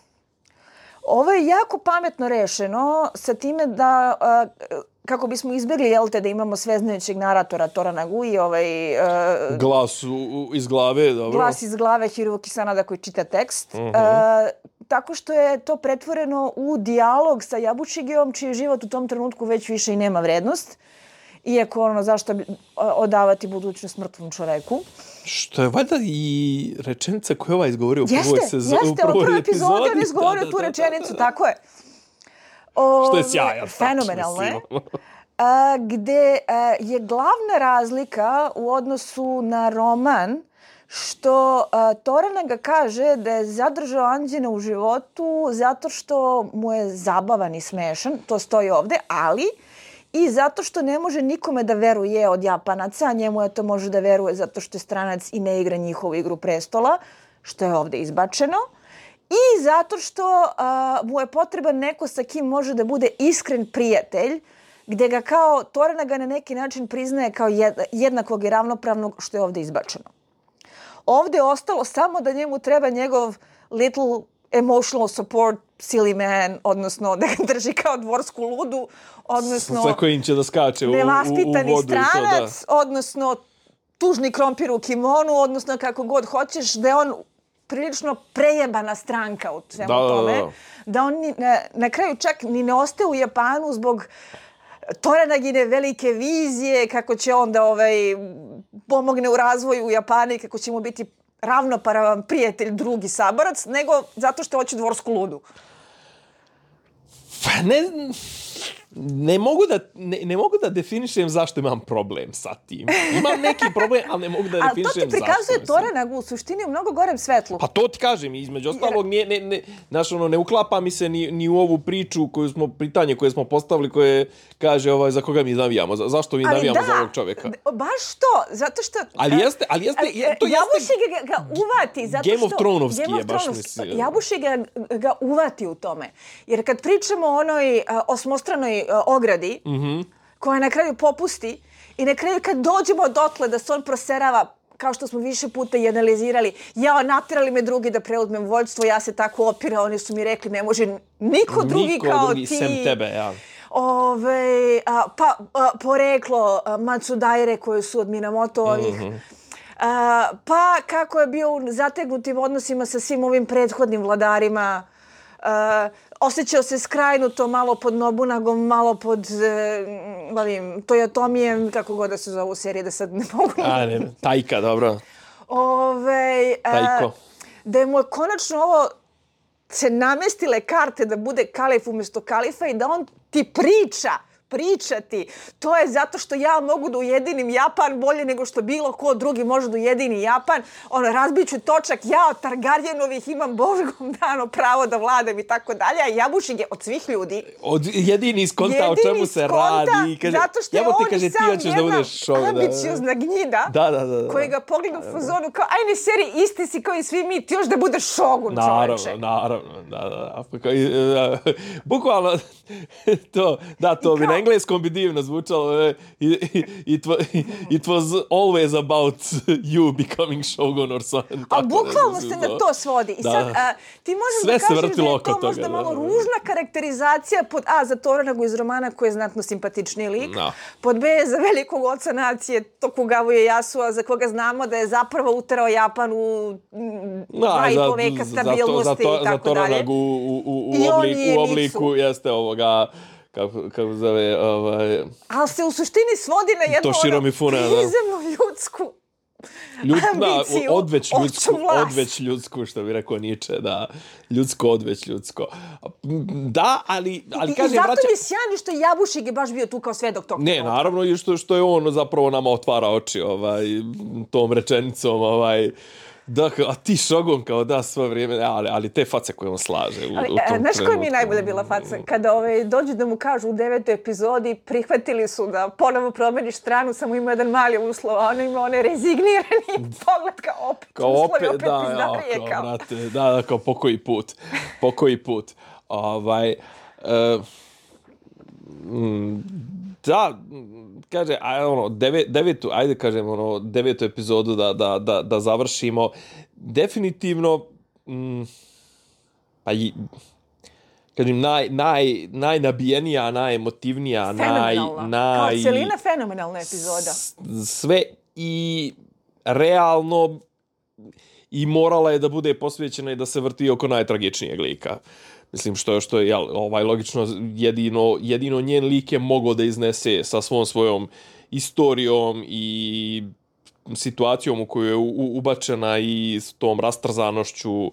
[SPEAKER 2] Ovo je jako pametno rešeno sa time da, uh, kako bismo izbjegli, jel te, da imamo sveznajućeg naratora Toranagu i ovaj... Uh,
[SPEAKER 1] glas u, u, iz glave, dobro.
[SPEAKER 2] Glas iz glave Hiroki Sanada koji čita tekst. Uh-huh. Uh, tako što je to pretvoreno u dijalog sa Jabušigijom, čiji život u tom trenutku već više i nema vrednost. Iako, ono, zašto bi odavati budućnost mrtvom čoveku.
[SPEAKER 1] Što je valjda i rečenica koju ovaj izgovorio u prvoj sezoni.
[SPEAKER 2] Jeste, jeste, u prvoj epizodi on izgovorio tu rečenicu, tako je.
[SPEAKER 1] O, što je sjajan.
[SPEAKER 2] Fenomenalno je. A, gde a, je glavna razlika u odnosu na roman što a, Toranaga kaže da je zadržao Anđina u životu zato što mu je zabavan i smešan, to stoji ovde, ali i zato što ne može nikome da veruje od Japanaca, a njemu je to može da veruje zato što je stranac i ne igra njihovu igru prestola, što je ovde izbačeno. I zato što uh, mu je potreban neko sa kim može da bude iskren prijatelj, gde ga kao Toranaga na neki način priznaje kao jednakog i ravnopravnog, što je ovde izbačeno. Ovde je ostalo samo da njemu treba njegov little emotional support silly man, odnosno da ga drži kao dvorsku ludu, odnosno
[SPEAKER 1] sa kojim će da skače u, u, u vodu.
[SPEAKER 2] Stranac,
[SPEAKER 1] to, da.
[SPEAKER 2] odnosno tužni krompir u kimonu, odnosno kako god hoćeš, da je on prilično prejebana stranka u svemu
[SPEAKER 1] da,
[SPEAKER 2] tome.
[SPEAKER 1] Da, da.
[SPEAKER 2] Da on ni, na, na kraju čak ni ne ostaje u Japanu zbog Toranagine velike vizije, kako će on da ovaj, pomogne u razvoju u Japanu i kako će mu biti ravnopravan prijatelj, drugi saborac, nego zato što hoće dvorsku ludu.
[SPEAKER 1] Pa ne, ne, mogu da, ne, ne mogu da definišem zašto imam problem sa tim. Imam neki problem, ali ne mogu da definišem zašto.
[SPEAKER 2] Ali to ti prikazuje Toranagu u suštini u mnogo gorem svetlu.
[SPEAKER 1] Pa to ti kažem, između ostalog, nije, ne, ne, znaš, ono, ne uklapa mi se ni, ni u ovu priču, koju smo, pitanje koje smo postavili, koje kaže ovaj, za koga mi navijamo, za, zašto mi
[SPEAKER 2] ali
[SPEAKER 1] navijamo
[SPEAKER 2] da,
[SPEAKER 1] za ovog čovjeka.
[SPEAKER 2] Baš to, zato što...
[SPEAKER 1] Ali jeste, ali jeste, je, to jeste...
[SPEAKER 2] Jabuši ga, ga uvati, zato
[SPEAKER 1] Game
[SPEAKER 2] što...
[SPEAKER 1] of Thronovski
[SPEAKER 2] Game of
[SPEAKER 1] je, baš
[SPEAKER 2] Thronovski.
[SPEAKER 1] mislim.
[SPEAKER 2] Jabuši ga, ga uvati u tome. Jer kad pričamo o onoj uh, osmostranoj uh, ogradi,
[SPEAKER 1] mm-hmm.
[SPEAKER 2] koja na kraju popusti i na kraju kad dođemo dotle da se on proserava, kao što smo više puta i analizirali, ja, naterali me drugi da preuzmem vođstvo, ja se tako opira, oni su mi rekli ne može niko drugi
[SPEAKER 1] niko
[SPEAKER 2] kao
[SPEAKER 1] drugi,
[SPEAKER 2] ti.
[SPEAKER 1] sem tebe, ja.
[SPEAKER 2] Ove, a, pa a, poreklo a, Matsudaire koje su od Minamotovih. Mm-hmm. A, pa kako je bio u zategnutim odnosima sa svim ovim prethodnim vladarima. A, osjećao se skrajnuto malo pod Nobunagom, malo pod e, ovim Toyotomijem, kako god da se zove u seriji, da sad ne mogu.
[SPEAKER 1] A, ne, Tajka, dobro.
[SPEAKER 2] Ove, a,
[SPEAKER 1] Tajko.
[SPEAKER 2] Da mu je konačno ovo se namestile karte da bude kalif umjesto kalifa i da on ti priča, pričati. To je zato što ja mogu da ujedinim Japan bolje nego što bilo ko drugi može da ujedini Japan. Ono, razbiću točak, ja od Targaryenovih imam Božgom dano pravo da vladam i tako dalje, a Jabušig je od svih ljudi.
[SPEAKER 1] Od jedini iskonta o čemu se radi.
[SPEAKER 2] Kaže, zato što je on
[SPEAKER 1] kaže,
[SPEAKER 2] sam
[SPEAKER 1] ti da budeš
[SPEAKER 2] jedna ambiciozna gnjida
[SPEAKER 1] da, da, da, da.
[SPEAKER 2] koji ga pogleda u fazonu kao, ajne seri, isti si kao i svi mi, ti još da budeš šogun,
[SPEAKER 1] naravno,
[SPEAKER 2] čoveče.
[SPEAKER 1] Naravno, da, da. Bukvalno, to, da, to bi na engleskom bi divno zvučalo. It, it, it was always about you becoming shogun or something.
[SPEAKER 2] A bukvalno se na to svodi. I sad, a, ti možeš
[SPEAKER 1] sve
[SPEAKER 2] da kažeš
[SPEAKER 1] vrtilo
[SPEAKER 2] da je
[SPEAKER 1] oko
[SPEAKER 2] to možda
[SPEAKER 1] toga,
[SPEAKER 2] malo
[SPEAKER 1] da, da.
[SPEAKER 2] ružna karakterizacija pod A za Toranagu iz romana koji je znatno simpatičniji lik.
[SPEAKER 1] No.
[SPEAKER 2] Pod B za velikog oca nacije Tokugawa Ieyasua za koga znamo da je zapravo uterao Japan u dva i po veka stabilnosti
[SPEAKER 1] za to,
[SPEAKER 2] i tako
[SPEAKER 1] za
[SPEAKER 2] dalje.
[SPEAKER 1] Toranagu u, u, u, obliku, u obliku jeste ovoga kako, kako zove ovaj...
[SPEAKER 2] Ali se u suštini svodi na jednu ono prizemnu ljudsku
[SPEAKER 1] Ljud,
[SPEAKER 2] ambiciju,
[SPEAKER 1] da, odveć ljudsku, odveć ljudsku, što bi rekao Nietzsche, da, ljudsko, odveć ljudsko. Da, ali, ali
[SPEAKER 2] I,
[SPEAKER 1] kažem...
[SPEAKER 2] I zato
[SPEAKER 1] vraća...
[SPEAKER 2] mi je sjajno što Jabušig je baš bio tu kao svedok tog.
[SPEAKER 1] Ne, naravno, i što, što je on zapravo nama otvara oči ovaj, tom rečenicom, ovaj, da, a ti šogun kao da svo vrijeme, ali, ali te face koje on slaže u,
[SPEAKER 2] ali,
[SPEAKER 1] u tom
[SPEAKER 2] znaš koja mi je najbolje bila faca? Kada ovaj, dođu da mu kažu u devetoj epizodi, prihvatili su da ponovo promeniš stranu, samo ima jedan mali uslov, a ono ima onaj rezignirani pogled kao opet,
[SPEAKER 1] kao
[SPEAKER 2] uslovi
[SPEAKER 1] opet,
[SPEAKER 2] opet
[SPEAKER 1] da,
[SPEAKER 2] izdaje.
[SPEAKER 1] Ja,
[SPEAKER 2] kao,
[SPEAKER 1] brate, da, da, kao pokoji put, pokoji put. Ovaj, uh, da, kaže, aj, ono, devet, devetu, ajde kažem, ono, devetu epizodu da, da, da, da završimo. Definitivno, mm, pa i, kažem, naj, naj, najnabijenija, najemotivnija, naj, naj...
[SPEAKER 2] Kao cijelina fenomenalna epizoda.
[SPEAKER 1] Sve i realno i morala je da bude posvećena i da se vrti oko najtragičnijeg lika. Mislim, što, što je jel, ovaj, logično jedino, jedino njen lik je mogao da iznese sa svom svojom istorijom i situacijom u kojoj je u, ubačena i s tom rastrzanošću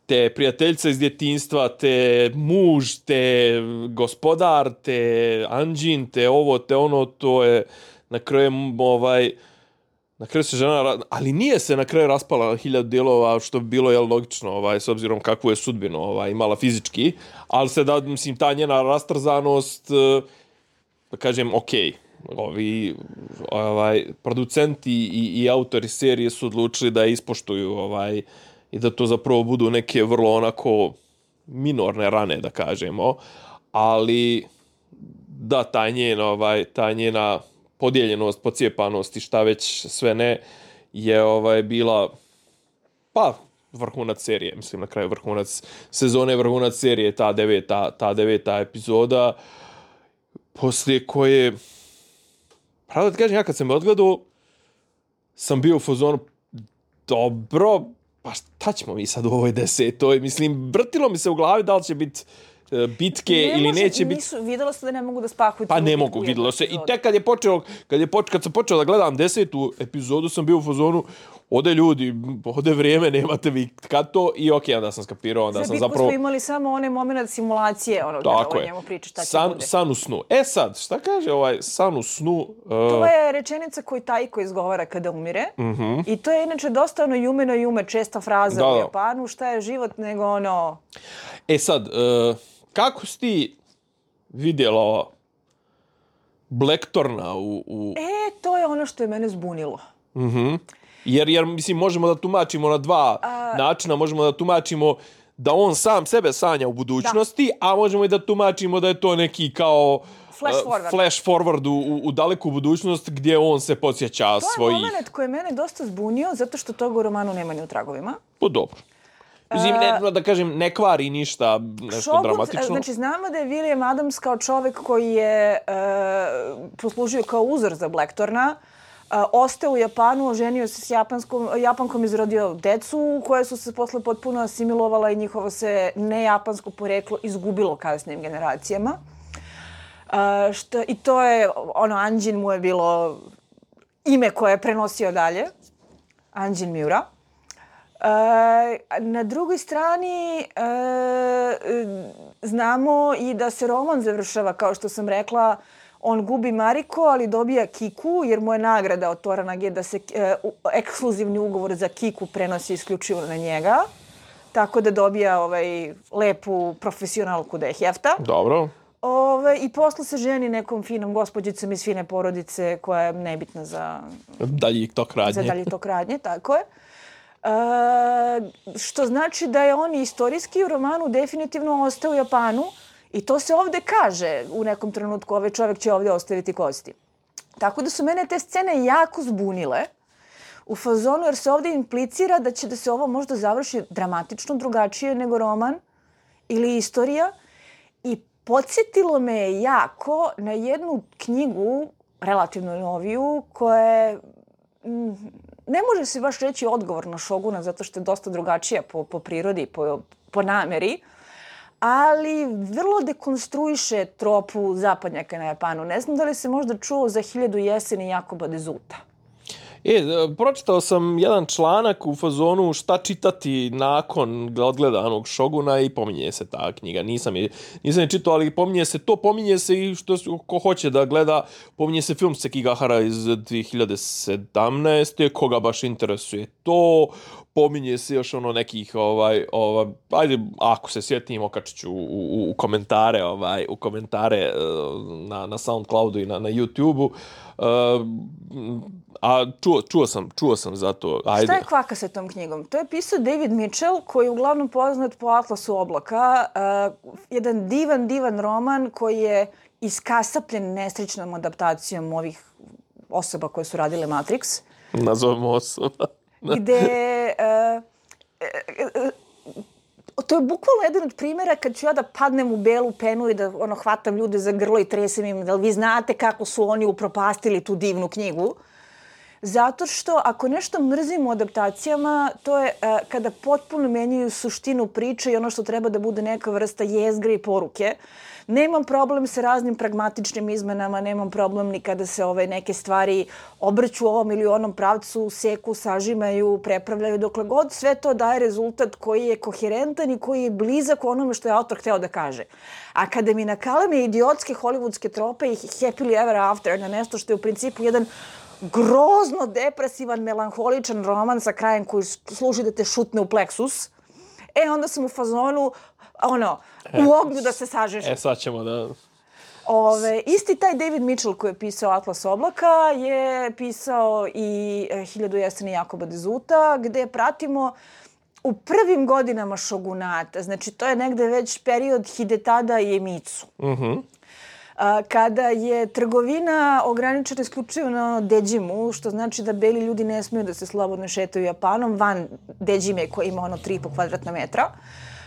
[SPEAKER 1] te prijateljice iz djetinjstva, te muž, te gospodar, te anđin, te ovo, te ono, to je na kraju ovaj... Na kraju se žena, ali nije se na kraju raspala na hiljadu dijelova, što bi bilo jel, logično, ovaj, s obzirom kakvu je sudbinu ovaj, imala fizički, ali se da, mislim, ta njena rastrzanost da kažem, okej. Ovi ovaj, producenti i, i autori serije su odlučili da ispoštuju ovaj, i da to zapravo budu neke vrlo onako minorne rane, da kažemo. Ali da, taj njen, ovaj, ta njena podijeljenost, pocijepanost i šta već sve ne, je ovaj, bila, pa, vrhunac serije. Mislim, na kraju vrhunac sezone, vrhunac serije, ta deveta, ta deveta epizoda, poslije koje, pravo da ti kažem, ja kad sam je odgledao, sam bio u fazonu, dobro, pa šta ćemo mi sad u ovoj desetoj? Mislim, vrtilo mi se u glavi da li će biti bitke
[SPEAKER 2] ne
[SPEAKER 1] ili
[SPEAKER 2] može,
[SPEAKER 1] neće biti.
[SPEAKER 2] Nisu, vidjelo se da ne mogu da spakuju.
[SPEAKER 1] Pa ne mogu, vidjelo se. I tek kad je počeo, kad, je poč, kad sam počeo da gledam desetu epizodu, sam bio u fazonu, ode ljudi, ode vrijeme, nemate vi kad to, i okej, okay, onda sam skapirao, onda
[SPEAKER 2] Za
[SPEAKER 1] sam
[SPEAKER 2] bitku
[SPEAKER 1] zapravo...
[SPEAKER 2] smo imali samo onaj moment simulacije, ono,
[SPEAKER 1] tako
[SPEAKER 2] da
[SPEAKER 1] je.
[SPEAKER 2] o njemu priča šta će
[SPEAKER 1] san,
[SPEAKER 2] bude.
[SPEAKER 1] San u snu. E sad, šta kaže ovaj san u snu? Uh...
[SPEAKER 2] To je rečenica koju Taiko izgovara kada umire.
[SPEAKER 1] Mm-hmm.
[SPEAKER 2] I to je inače dosta ono jume no jume, česta fraza
[SPEAKER 1] da,
[SPEAKER 2] u Japanu, šta je život nego ono...
[SPEAKER 1] E sad, uh, kako si ti vidjela Blackthorna u, u...
[SPEAKER 2] E, to je ono što je mene zbunilo.
[SPEAKER 1] Mhm. Jer, jer, mislim, možemo da tumačimo na dva a... načina. Možemo da tumačimo da on sam sebe sanja u budućnosti, da. A možemo i da tumačimo da je to neki kao
[SPEAKER 2] flash forward,
[SPEAKER 1] uh, flash forward u, u daleku budućnost gdje on se podsjeća svojih...
[SPEAKER 2] To je moment koji je mene dosta zbunio, zato što toga u romanu nema ni u tragovima.
[SPEAKER 1] Po dobro. Mislim, ne, da kažem, ne kvari ništa nešto
[SPEAKER 2] Šogut,
[SPEAKER 1] dramatično.
[SPEAKER 2] Znači, znamo da je William Adams kao čovjek koji je uh, poslužio kao uzor za Blackthorna, uh, ostao u Japanu, oženio se s japanskom, Japankom, izrodio decu koje su se posle potpuno asimilovala i njihovo se nejapansko poreklo izgubilo kasnijim generacijama. Uh, što, I to je, ono, Anjin mu je bilo ime koje je prenosio dalje. Anjin Miura. Uh, na drugoj strani uh, znamo i da se roman završava, kao što sam rekla, on gubi Mariko, ali dobija Kiku, jer mu je nagrada od Toranage da se uh, ekskluzivni ugovor za Kiku prenosi isključivo na njega. Tako da dobija ovaj, lepu profesionalku da je hefta.
[SPEAKER 1] Dobro.
[SPEAKER 2] Ove, I posle se ženi nekom finom gospođicom iz fine porodice koja je nebitna za
[SPEAKER 1] dalji tok radnje.
[SPEAKER 2] Za dalji tok radnje, tako je. Uh, što znači da je on istorijski u romanu definitivno ostao u Japanu i to se ovde kaže u nekom trenutku, ovaj čovjek će ovdje ostaviti kosti. Tako da su mene te scene jako zbunile u fazonu jer se ovdje implicira da će da se ovo možda završi dramatično drugačije nego roman ili istorija i podsjetilo me je jako na jednu knjigu, relativno noviju, koja je... Ne može se baš reći odgovor na Šoguna, zato što je dosta drugačija po, po prirodi, po, po nameri, ali vrlo dekonstruiše tropu zapadnjaka na Japanu. Ne znam da li se možda čuo za Hiljadu jeseni Jakoba Dezuta.
[SPEAKER 1] E, pročitao sam jedan članak u fazonu šta čitati nakon odgledanog Šoguna i pominje se ta knjiga. Nisam je, nisam je čitao, ali pominje se to, pominje se i što ko hoće da gleda, pominje se film Sekigahara iz dvije hiljade sedamnaeste. Koga baš interesuje to, pominje se još ono nekih, ovaj, ovaj, ajde, ako se sjetim, okačit ću u, u, u komentare, ovaj, u komentare na, na SoundCloudu i na, na YouTubeu. Uh, a čuo, čuo sam, čuo sam za to. Ajde.
[SPEAKER 2] Šta je kvaka sa tom knjigom? To je pisao David Mitchell, koji je uglavnom poznat po Atlasu oblaka. Uh, jedan divan, divan roman koji je iskasapljen nesrećnom adaptacijom ovih osoba koje su radile Matrix.
[SPEAKER 1] Nazovemo osoba.
[SPEAKER 2] Gde... Uh, uh, uh, to je bukvalno jedan od primjera kad ću ja da padnem u belu penu i da ono, hvatam ljude za grlo i tresem im da li vi znate kako su oni upropastili tu divnu knjigu. Zato što ako nešto mrzim u adaptacijama, to je uh, kada potpuno menjaju suštinu priče i ono što treba da bude neka vrsta jezgre i poruke. Nemam problem sa raznim pragmatičnim izmenama, nemam problem ni kada se ove neke stvari obrću ovom ili onom pravcu, seku, sažimaju, prepravljaju, dokle god sve to daje rezultat koji je koherentan i koji je blizak onome što je autor hteo da kaže. A kada mi nakaleme idiotske hollywoodske trope i happily ever after na nešto što je u principu jedan grozno depresivan, melanholičan roman sa krajem koji služi da te šutne u pleksus, e onda sam u fazonu, ono, u ognju da se sažeš.
[SPEAKER 1] E, sad ćemo da...
[SPEAKER 2] Ove, isti taj David Mitchell koji je pisao Atlas oblaka je pisao i Hiljadu jeseni Jakoba Dezuta, gde pratimo u prvim godinama šogunata, znači to je negde već period Hidetada i Emitsu.
[SPEAKER 1] Mhm.
[SPEAKER 2] Kada je trgovina ograničena isključivo na Deđimu, što znači da beli ljudi ne smiju da se slobodno šetaju Japanom, van Deđime koji ima ono tri i po kvadratna metra.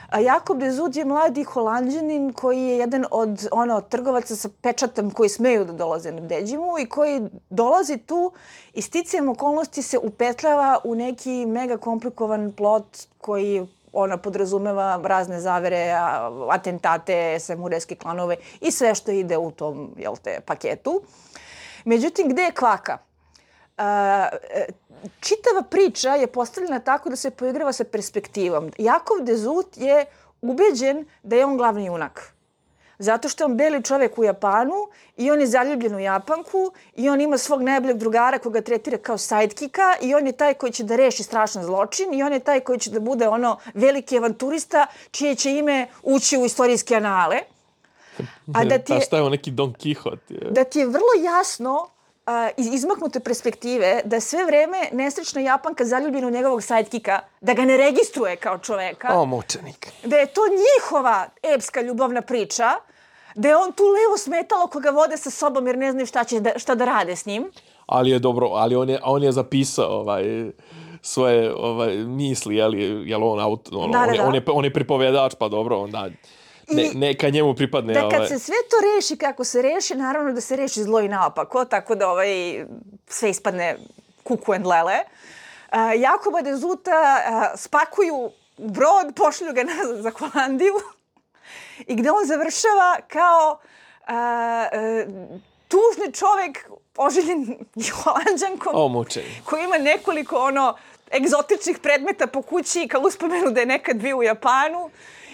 [SPEAKER 2] A Jakob Dezut je mladi Holanđanin koji je jedan od ono, trgovaca sa pečatom koji smeju da dolaze na Deđimu i koji dolazi tu i sticajem okolnosti se upetljava u neki mega komplikovan plot koji ona podrazumeva razne zavere, atentate, samurajske klanove i sve što ide u tom, jel te, paketu. Međutim, gde je kvaka? Uh, čitava priča je postavljena tako da se poigrava sa perspektivom. Jakov Dezut je ubeđen da je on glavni junak. Zato što je on beli čovjek u Japanu i on je zaljubljen u Japanku i on ima svog najboljeg drugara koga tretira kao sidekicka i on je taj koji će da reši strašan zločin i on je taj koji će da bude ono veliki avanturista čije će ime ući u istorijske anale.
[SPEAKER 1] A da ti je, šta je on neki Don Quixote?
[SPEAKER 2] Da ti je vrlo jasno Uh, iz izmaknute perspektive da je sve vreme nesrećna Japanka zaljubljena u njegovog sidekicka, da ga ne registruje kao čoveka.
[SPEAKER 1] O, mučenik.
[SPEAKER 2] Da je to njihova epska ljubavna priča, da je on tu levo smetalo koga vode sa sobom jer ne znaju šta, će da, šta da rade s njim.
[SPEAKER 1] Ali je dobro, ali on je, on je zapisao ovaj, svoje ovaj, misli, jel, jel on, auto, ono,
[SPEAKER 2] da, da,
[SPEAKER 1] on, je,
[SPEAKER 2] da.
[SPEAKER 1] on, je, on je pripovedač, pa dobro, onda... Ne, neka njemu pripadne.
[SPEAKER 2] Da kad
[SPEAKER 1] ovaj...
[SPEAKER 2] se sve to reši kako se reši, naravno da se reši zlo i naopako, tako da ovaj, sve ispadne kuku and lele. Uh, Jakoba Dezuta uh, spakuju u brod, pošlju ga nazad za Holandiju i gde on završava kao uh, uh, tužni čovek oželjen Holanđankom
[SPEAKER 1] o, mučenik.
[SPEAKER 2] Koji ima nekoliko ono egzotičnih predmeta po kući kao uspomenu da je nekad bio u Japanu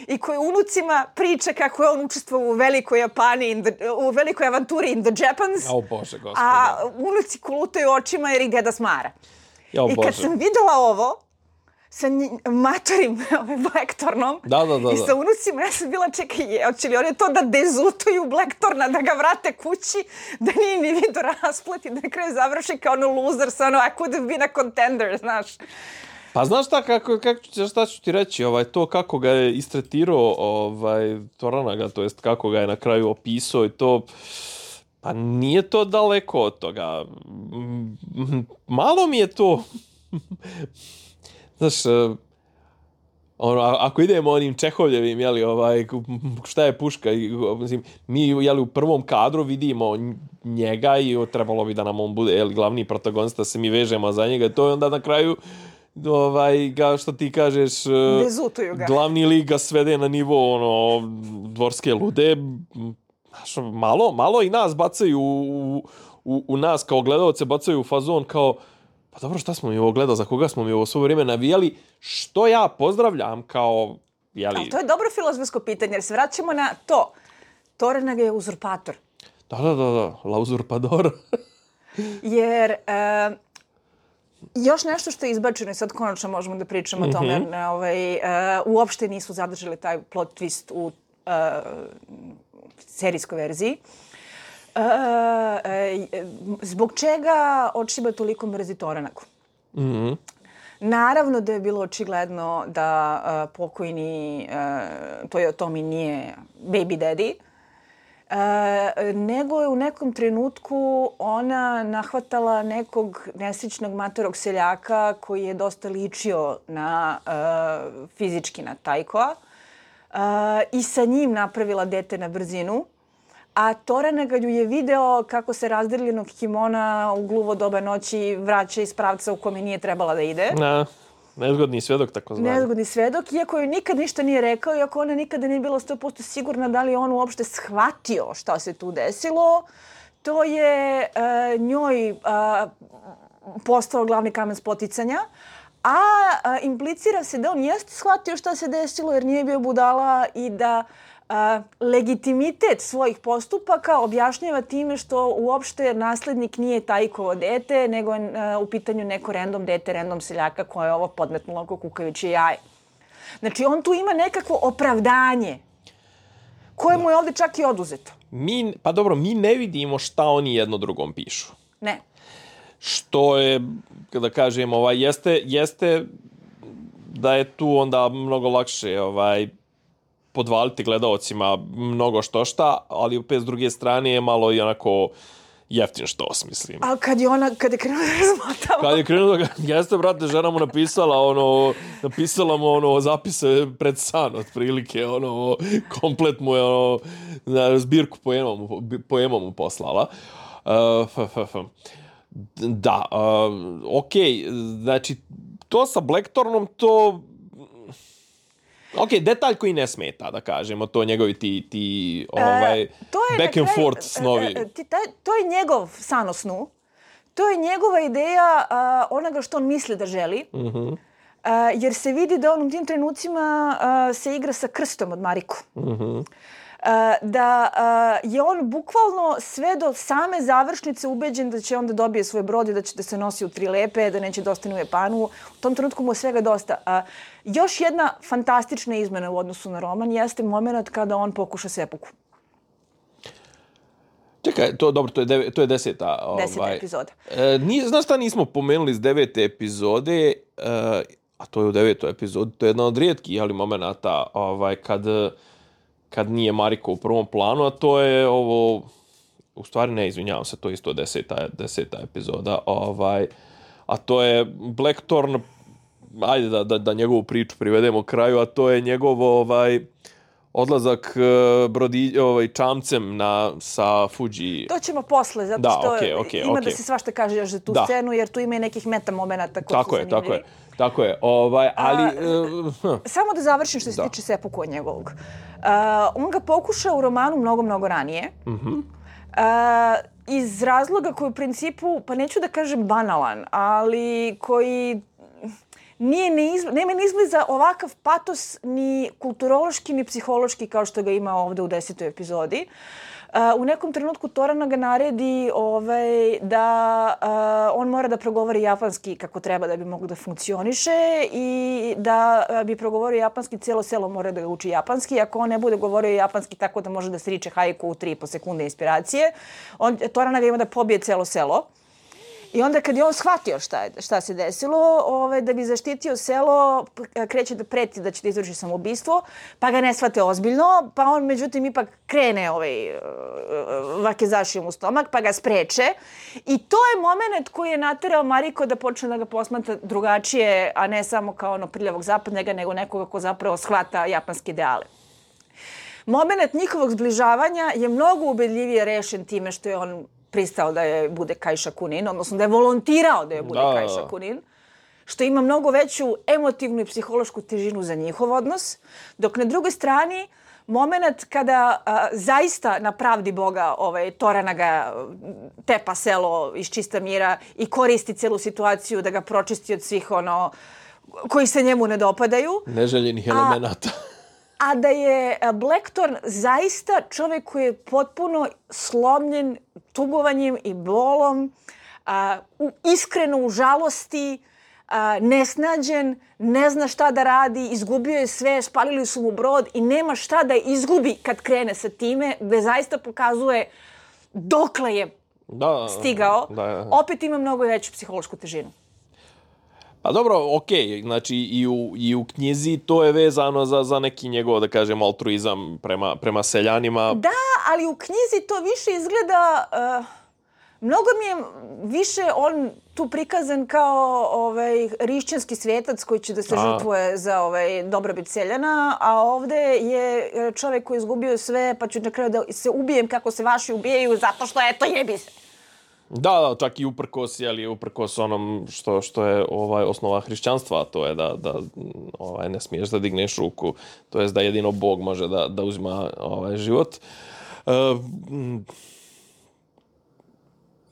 [SPEAKER 2] i koji unucima priča kako je on učestvovao u velikoj Japani, in the, u velikoj avanturi in the Japans.
[SPEAKER 1] O Bože, gospode.
[SPEAKER 2] A unuci kolutaju očima jer ih deda smara.
[SPEAKER 1] O,
[SPEAKER 2] I kad
[SPEAKER 1] Bože.
[SPEAKER 2] sam videla ovo, sa matorim Blackthornom
[SPEAKER 1] da, da, da,
[SPEAKER 2] i sa unucima, ja sam bila, čekaj, je, hoće li oni to da dezutuju Blackthorna, da ga vrate kući, da nije ni vidio rasplet i da na kraju završi kao ono loser sa ono I could have been a contender, znaš.
[SPEAKER 1] Pa znaš šta, kako, kako, šta ću ti reći, ovaj, to kako ga je istretirao ovaj, Toranaga, to jest kako ga je na kraju opisao i to, pa nije to daleko od toga. Malo mi je to, znaš, ono, ako idemo onim Čehovljevim, jeli, ovaj, šta je puška, mislim, mi jeli, u prvom kadru vidimo njega i trebalo bi da nam on bude jeli, glavni protagonista, da se mi vežemo za njega, to je onda na kraju ovaj, ga, što ti kažeš,
[SPEAKER 2] dezutuju ga.
[SPEAKER 1] Glavni lik ga svede na nivo ono, dvorske lude. Znaš, malo, malo i nas bacaju u, u, u nas kao gledalce, bacaju u fazon kao pa dobro, šta smo mi ovo gledali, za koga smo mi ovo svo vrijeme navijali, što ja pozdravljam kao... Jeli...
[SPEAKER 2] Ali to je dobro filozofsko pitanje, jer se vraćamo na to. Toranaga je uzurpator.
[SPEAKER 1] Da, da, da, da, la uzurpador.
[SPEAKER 2] Jer... E, još nešto što je izbačeno i sad konačno možemo da pričamo mm-hmm. o tome, jer ovaj, uh, uopšte nisu zadržali taj plot twist u uh, serijskoj verziji. Uh, uh, zbog čega Očiba toliko mrzi Toranagu?
[SPEAKER 1] Mm-hmm.
[SPEAKER 2] Naravno da je bilo očigledno da uh, pokojni uh, Toyotomi nije baby daddy, Uh, nego je u nekom trenutku ona nahvatala nekog nesrećnog matorog seljaka koji je dosta ličio na uh, fizički na Taikoa uh, i sa njim napravila dete na brzinu. A Toranaga ju je video kako se razdeljenog kimona u gluvo doba noći vraća iz pravca u kome nije trebala da ide.
[SPEAKER 1] Na. Nezgodni svedok, tako zvani.
[SPEAKER 2] Nezgodni svedok, iako joj nikad ništa nije rekao, iako ona nikada nije bila sto posto sigurna da li je on uopšte shvatio šta se tu desilo, to je uh, njoj uh, postao glavni kamen spoticanja, a uh, implicira se da on jeste shvatio šta se desilo jer nije bio budala i da uh, legitimitet svojih postupaka objašnjava time što uopšte naslednik nije Taikovo dete, nego je uh, u pitanju neko random dete, random seljaka koje je ovo podmetnulo ko kukajuće jaje. Znači, on tu ima nekakvo opravdanje koje mu je ovdje čak i oduzeto.
[SPEAKER 1] mi, pa dobro, mi ne vidimo šta oni jedno drugom pišu.
[SPEAKER 2] Ne.
[SPEAKER 1] Što je, kada kažem, ovaj, jeste, jeste da je tu onda mnogo lakše ovaj, podvaliti gledaocima mnogo što šta, ali opet s druge strane je malo i onako jeftin štos, mislim.
[SPEAKER 2] A kad je ona, kad je krenula da razmotava?
[SPEAKER 1] Kad je krenula da, jeste, brate, žena mu napisala ono, napisala mu ono zapise pred san, otprilike, ono, komplet mu je ono, na zbirku poema mu, poema mu poslala. Uh, f, f, f. Da, uh, okej, okay, znači, to sa Blackthornom, to... Ok, detalj koji ne smeta, da kažemo, to njegovi ti, ti ovaj,
[SPEAKER 2] e, to je
[SPEAKER 1] back and
[SPEAKER 2] kraj,
[SPEAKER 1] forth snovi.
[SPEAKER 2] E, ti, taj, to je njegov san o snu. To je njegova ideja uh, onoga što on misli da želi.
[SPEAKER 1] Mm-hmm.
[SPEAKER 2] Uh, jer se vidi da on u tim trenucima uh, se igra sa krstom od Mariku.
[SPEAKER 1] Mm-hmm.
[SPEAKER 2] Uh, da uh, je on bukvalno sve do same završnice ubeđen da će onda dobije svoj brod i da će da se nosi u tri lepe, da neće da ostane u Japanu. U tom trenutku mu je svega dosta. Uh, još jedna fantastična izmena u odnosu na roman jeste moment kada on pokuša sepuku.
[SPEAKER 1] Čekaj, to dobro, to je, deve, to je deseta.
[SPEAKER 2] Deseta
[SPEAKER 1] ovaj,
[SPEAKER 2] epizoda.
[SPEAKER 1] E, nije, znaš šta nismo pomenuli iz devete epizode, e, a to je u devetoj epizodi, to je jedna od rijetkih ali momenata ovaj, kad... kad nije Mariko u prvom planu, a to je ovo, u stvari ne, izvinjavam se, to je isto deseta, deseta epizoda, ovaj, a to je Blackthorn, ajde da, da, da njegovu priču privedemo kraju, a to je njegov ovaj, odlazak brodi, ovaj, čamcem na, sa Fuji.
[SPEAKER 2] To ćemo posle, zato
[SPEAKER 1] da,
[SPEAKER 2] što
[SPEAKER 1] okay, okay,
[SPEAKER 2] ima
[SPEAKER 1] okay.
[SPEAKER 2] da se svašta kaže još za tu
[SPEAKER 1] da. scenu,
[SPEAKER 2] jer tu ima i nekih meta momenata koji
[SPEAKER 1] tako
[SPEAKER 2] su
[SPEAKER 1] je,
[SPEAKER 2] zanimljivi.
[SPEAKER 1] tako je. Tako je, ovaj, ali...
[SPEAKER 2] A,
[SPEAKER 1] uh,
[SPEAKER 2] samo da završim što se
[SPEAKER 1] da.
[SPEAKER 2] tiče sepuku njegovog. Uh, on ga pokuša u romanu mnogo, mnogo ranije.
[SPEAKER 1] Mhm.
[SPEAKER 2] Uh, iz razloga koji u principu, pa neću da kažem banalan, ali koji nije ni izb... nema ni izbliza ovakav patos ni kulturološki ni psihološki kao što ga ima ovdje u desetoj epizodi. Uh, u nekom trenutku Torana ga naredi ovaj, da uh, on mora da progovori japanski kako treba da bi moglo da funkcioniše i da uh, bi progovorio japanski, cijelo selo mora da ga uči japanski. Ako on ne bude govorio japanski tako da može da sriče haiku u tri i po sekunde inspiracije, on, Torana ga ima da pobije cijelo selo. I onda kad je on shvatio šta, je, šta se desilo, ovaj, da bi zaštitio selo, kreće da preti da će da izvrši samoubistvo, pa ga ne shvate ozbiljno, pa on međutim ipak krene ovaj, vakezašijom u stomak, pa ga spreče. I to je moment koji je naterao Mariko da počne da ga posmatra drugačije, a ne samo kao ono prljavog zapadnjega, nego nekoga ko zapravo shvata japanske ideale. Moment njihovog zbližavanja je mnogo ubedljivije rešen time što je on pristao da je bude Kajša Kunin, odnosno da je volontirao da je bude
[SPEAKER 1] da.
[SPEAKER 2] Kajša Kunin, što ima mnogo veću emotivnu i psihološku težinu za njihov odnos, dok na drugoj strani moment kada a, zaista na pravdi Boga ovaj, Torana ga tepa selo iz čista mira i koristi celu situaciju da ga pročisti od svih ono koji se njemu ne dopadaju.
[SPEAKER 1] Neželjenih elemenata.
[SPEAKER 2] A da je Blackthorn zaista čovjek koji je potpuno slomljen tugovanjem i bolom, a, u, iskreno u žalosti, a, nesnađen, ne zna šta da radi, izgubio je sve, spalili su mu brod i nema šta da izgubi kad krene sa time, gde zaista pokazuje dokle je
[SPEAKER 1] da,
[SPEAKER 2] stigao.
[SPEAKER 1] Da, da.
[SPEAKER 2] Opet ima mnogo veću psihološku težinu.
[SPEAKER 1] Pa dobro, okej, okay. Znači i u, i u knjizi to je vezano za, za neki njegov, da kažem, altruizam prema, prema seljanima.
[SPEAKER 2] Da, ali u knjizi to više izgleda... Uh, mnogo mi je više on tu prikazan kao ovaj, rišćanski svetac koji će da se a. žrtvuje za ovaj, dobrobit seljana, a ovde je čovjek koji je izgubio sve, pa ću na kraju da se ubijem kako se vaši ubijaju zato što eto jebi se.
[SPEAKER 1] Da, da, čak i uprkos, jeli, uprkos onom što, što je ovaj, osnova hrišćanstva, to je da, da ovaj, ne smiješ da digneš ruku, to jest da jedino Bog može da, da uzima ovaj, život. Uh,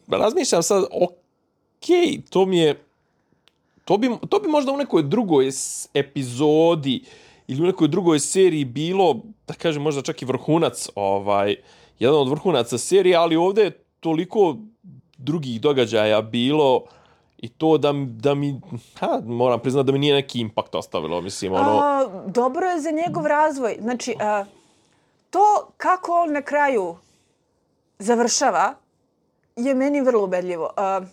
[SPEAKER 1] razmišljam sad, okej, to mi je, to bi, to bi možda u nekoj drugoj epizodi ili u nekoj drugoj seriji bilo, da kažem, možda čak i vrhunac, ovaj, jedan od vrhunaca serije, ali ovdje je toliko drugih događaja bilo i to da, da mi, ha, moram priznati da mi nije neki impakt ostavilo, mislim, ono...
[SPEAKER 2] A, dobro je za njegov razvoj. Znači, a, to kako on na kraju završava je meni vrlo ubedljivo. Uh,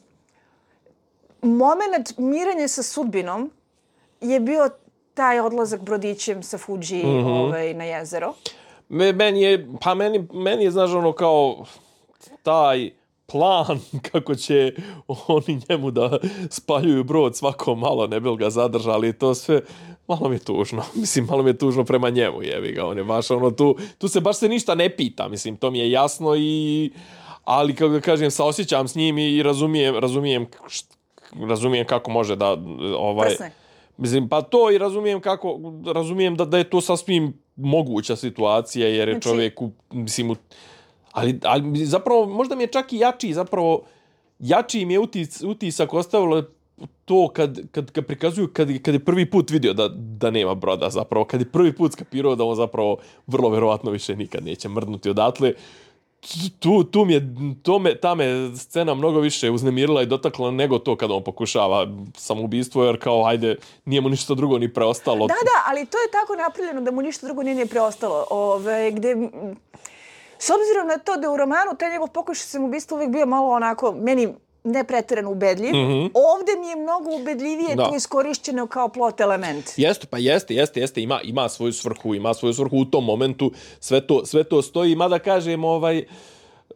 [SPEAKER 2] moment mirenja sa sudbinom je bio taj odlazak brodićem sa Fuji mm-hmm. ovaj, na jezero.
[SPEAKER 1] Me, meni je, pa meni, meni je, znaš, ono kao taj plan kako će oni njemu da spaljuju brod svako malo, ne bi ga zadržali, to sve malo mi je tužno. Mislim, malo mi je tužno prema njemu, jebi ga. On je baš ono, tu, tu se baš se ništa ne pita, mislim, to mi je jasno i... Ali, kako da kažem, saosjećam s njim i razumijem, razumijem, razumijem kako može da... Ovaj,
[SPEAKER 2] Prsne.
[SPEAKER 1] Mislim, pa to i razumijem kako... Razumijem da, da je to sasvim moguća situacija, jer je znači... čovjek, u, mislim... U, ali, ali zapravo, možda mi je čak i jači, zapravo, jači mi je utis, utisak ostavilo to kad, kad, kad prikazuju, kad, kad je prvi put vidio da, da nema broda, zapravo, kad je prvi put skapirao da on zapravo vrlo verovatno više nikad neće mrdnuti odatle. Tu, tu mi je, to me, ta me scena mnogo više uznemirila i dotakla nego to kada on pokušava samoubistvo, jer kao, ajde, nije mu ništa drugo ni preostalo.
[SPEAKER 2] Da, da, ali to je tako napravljeno da mu ništa drugo nije, nije preostalo. Ove, gde, s obzirom na to da u romanu taj njegov pokušaj samoubistva uvijek bio malo onako, meni ne pretjerano ubedljiv, mm-hmm. ovdje mi je mnogo ubedljivije da. To iskorišćeno kao plot element.
[SPEAKER 1] Jeste, pa jeste, jeste, jeste, ima, ima svoju svrhu, ima svoju svrhu u tom momentu, sve to, sve to stoji, mada kažem, ovaj,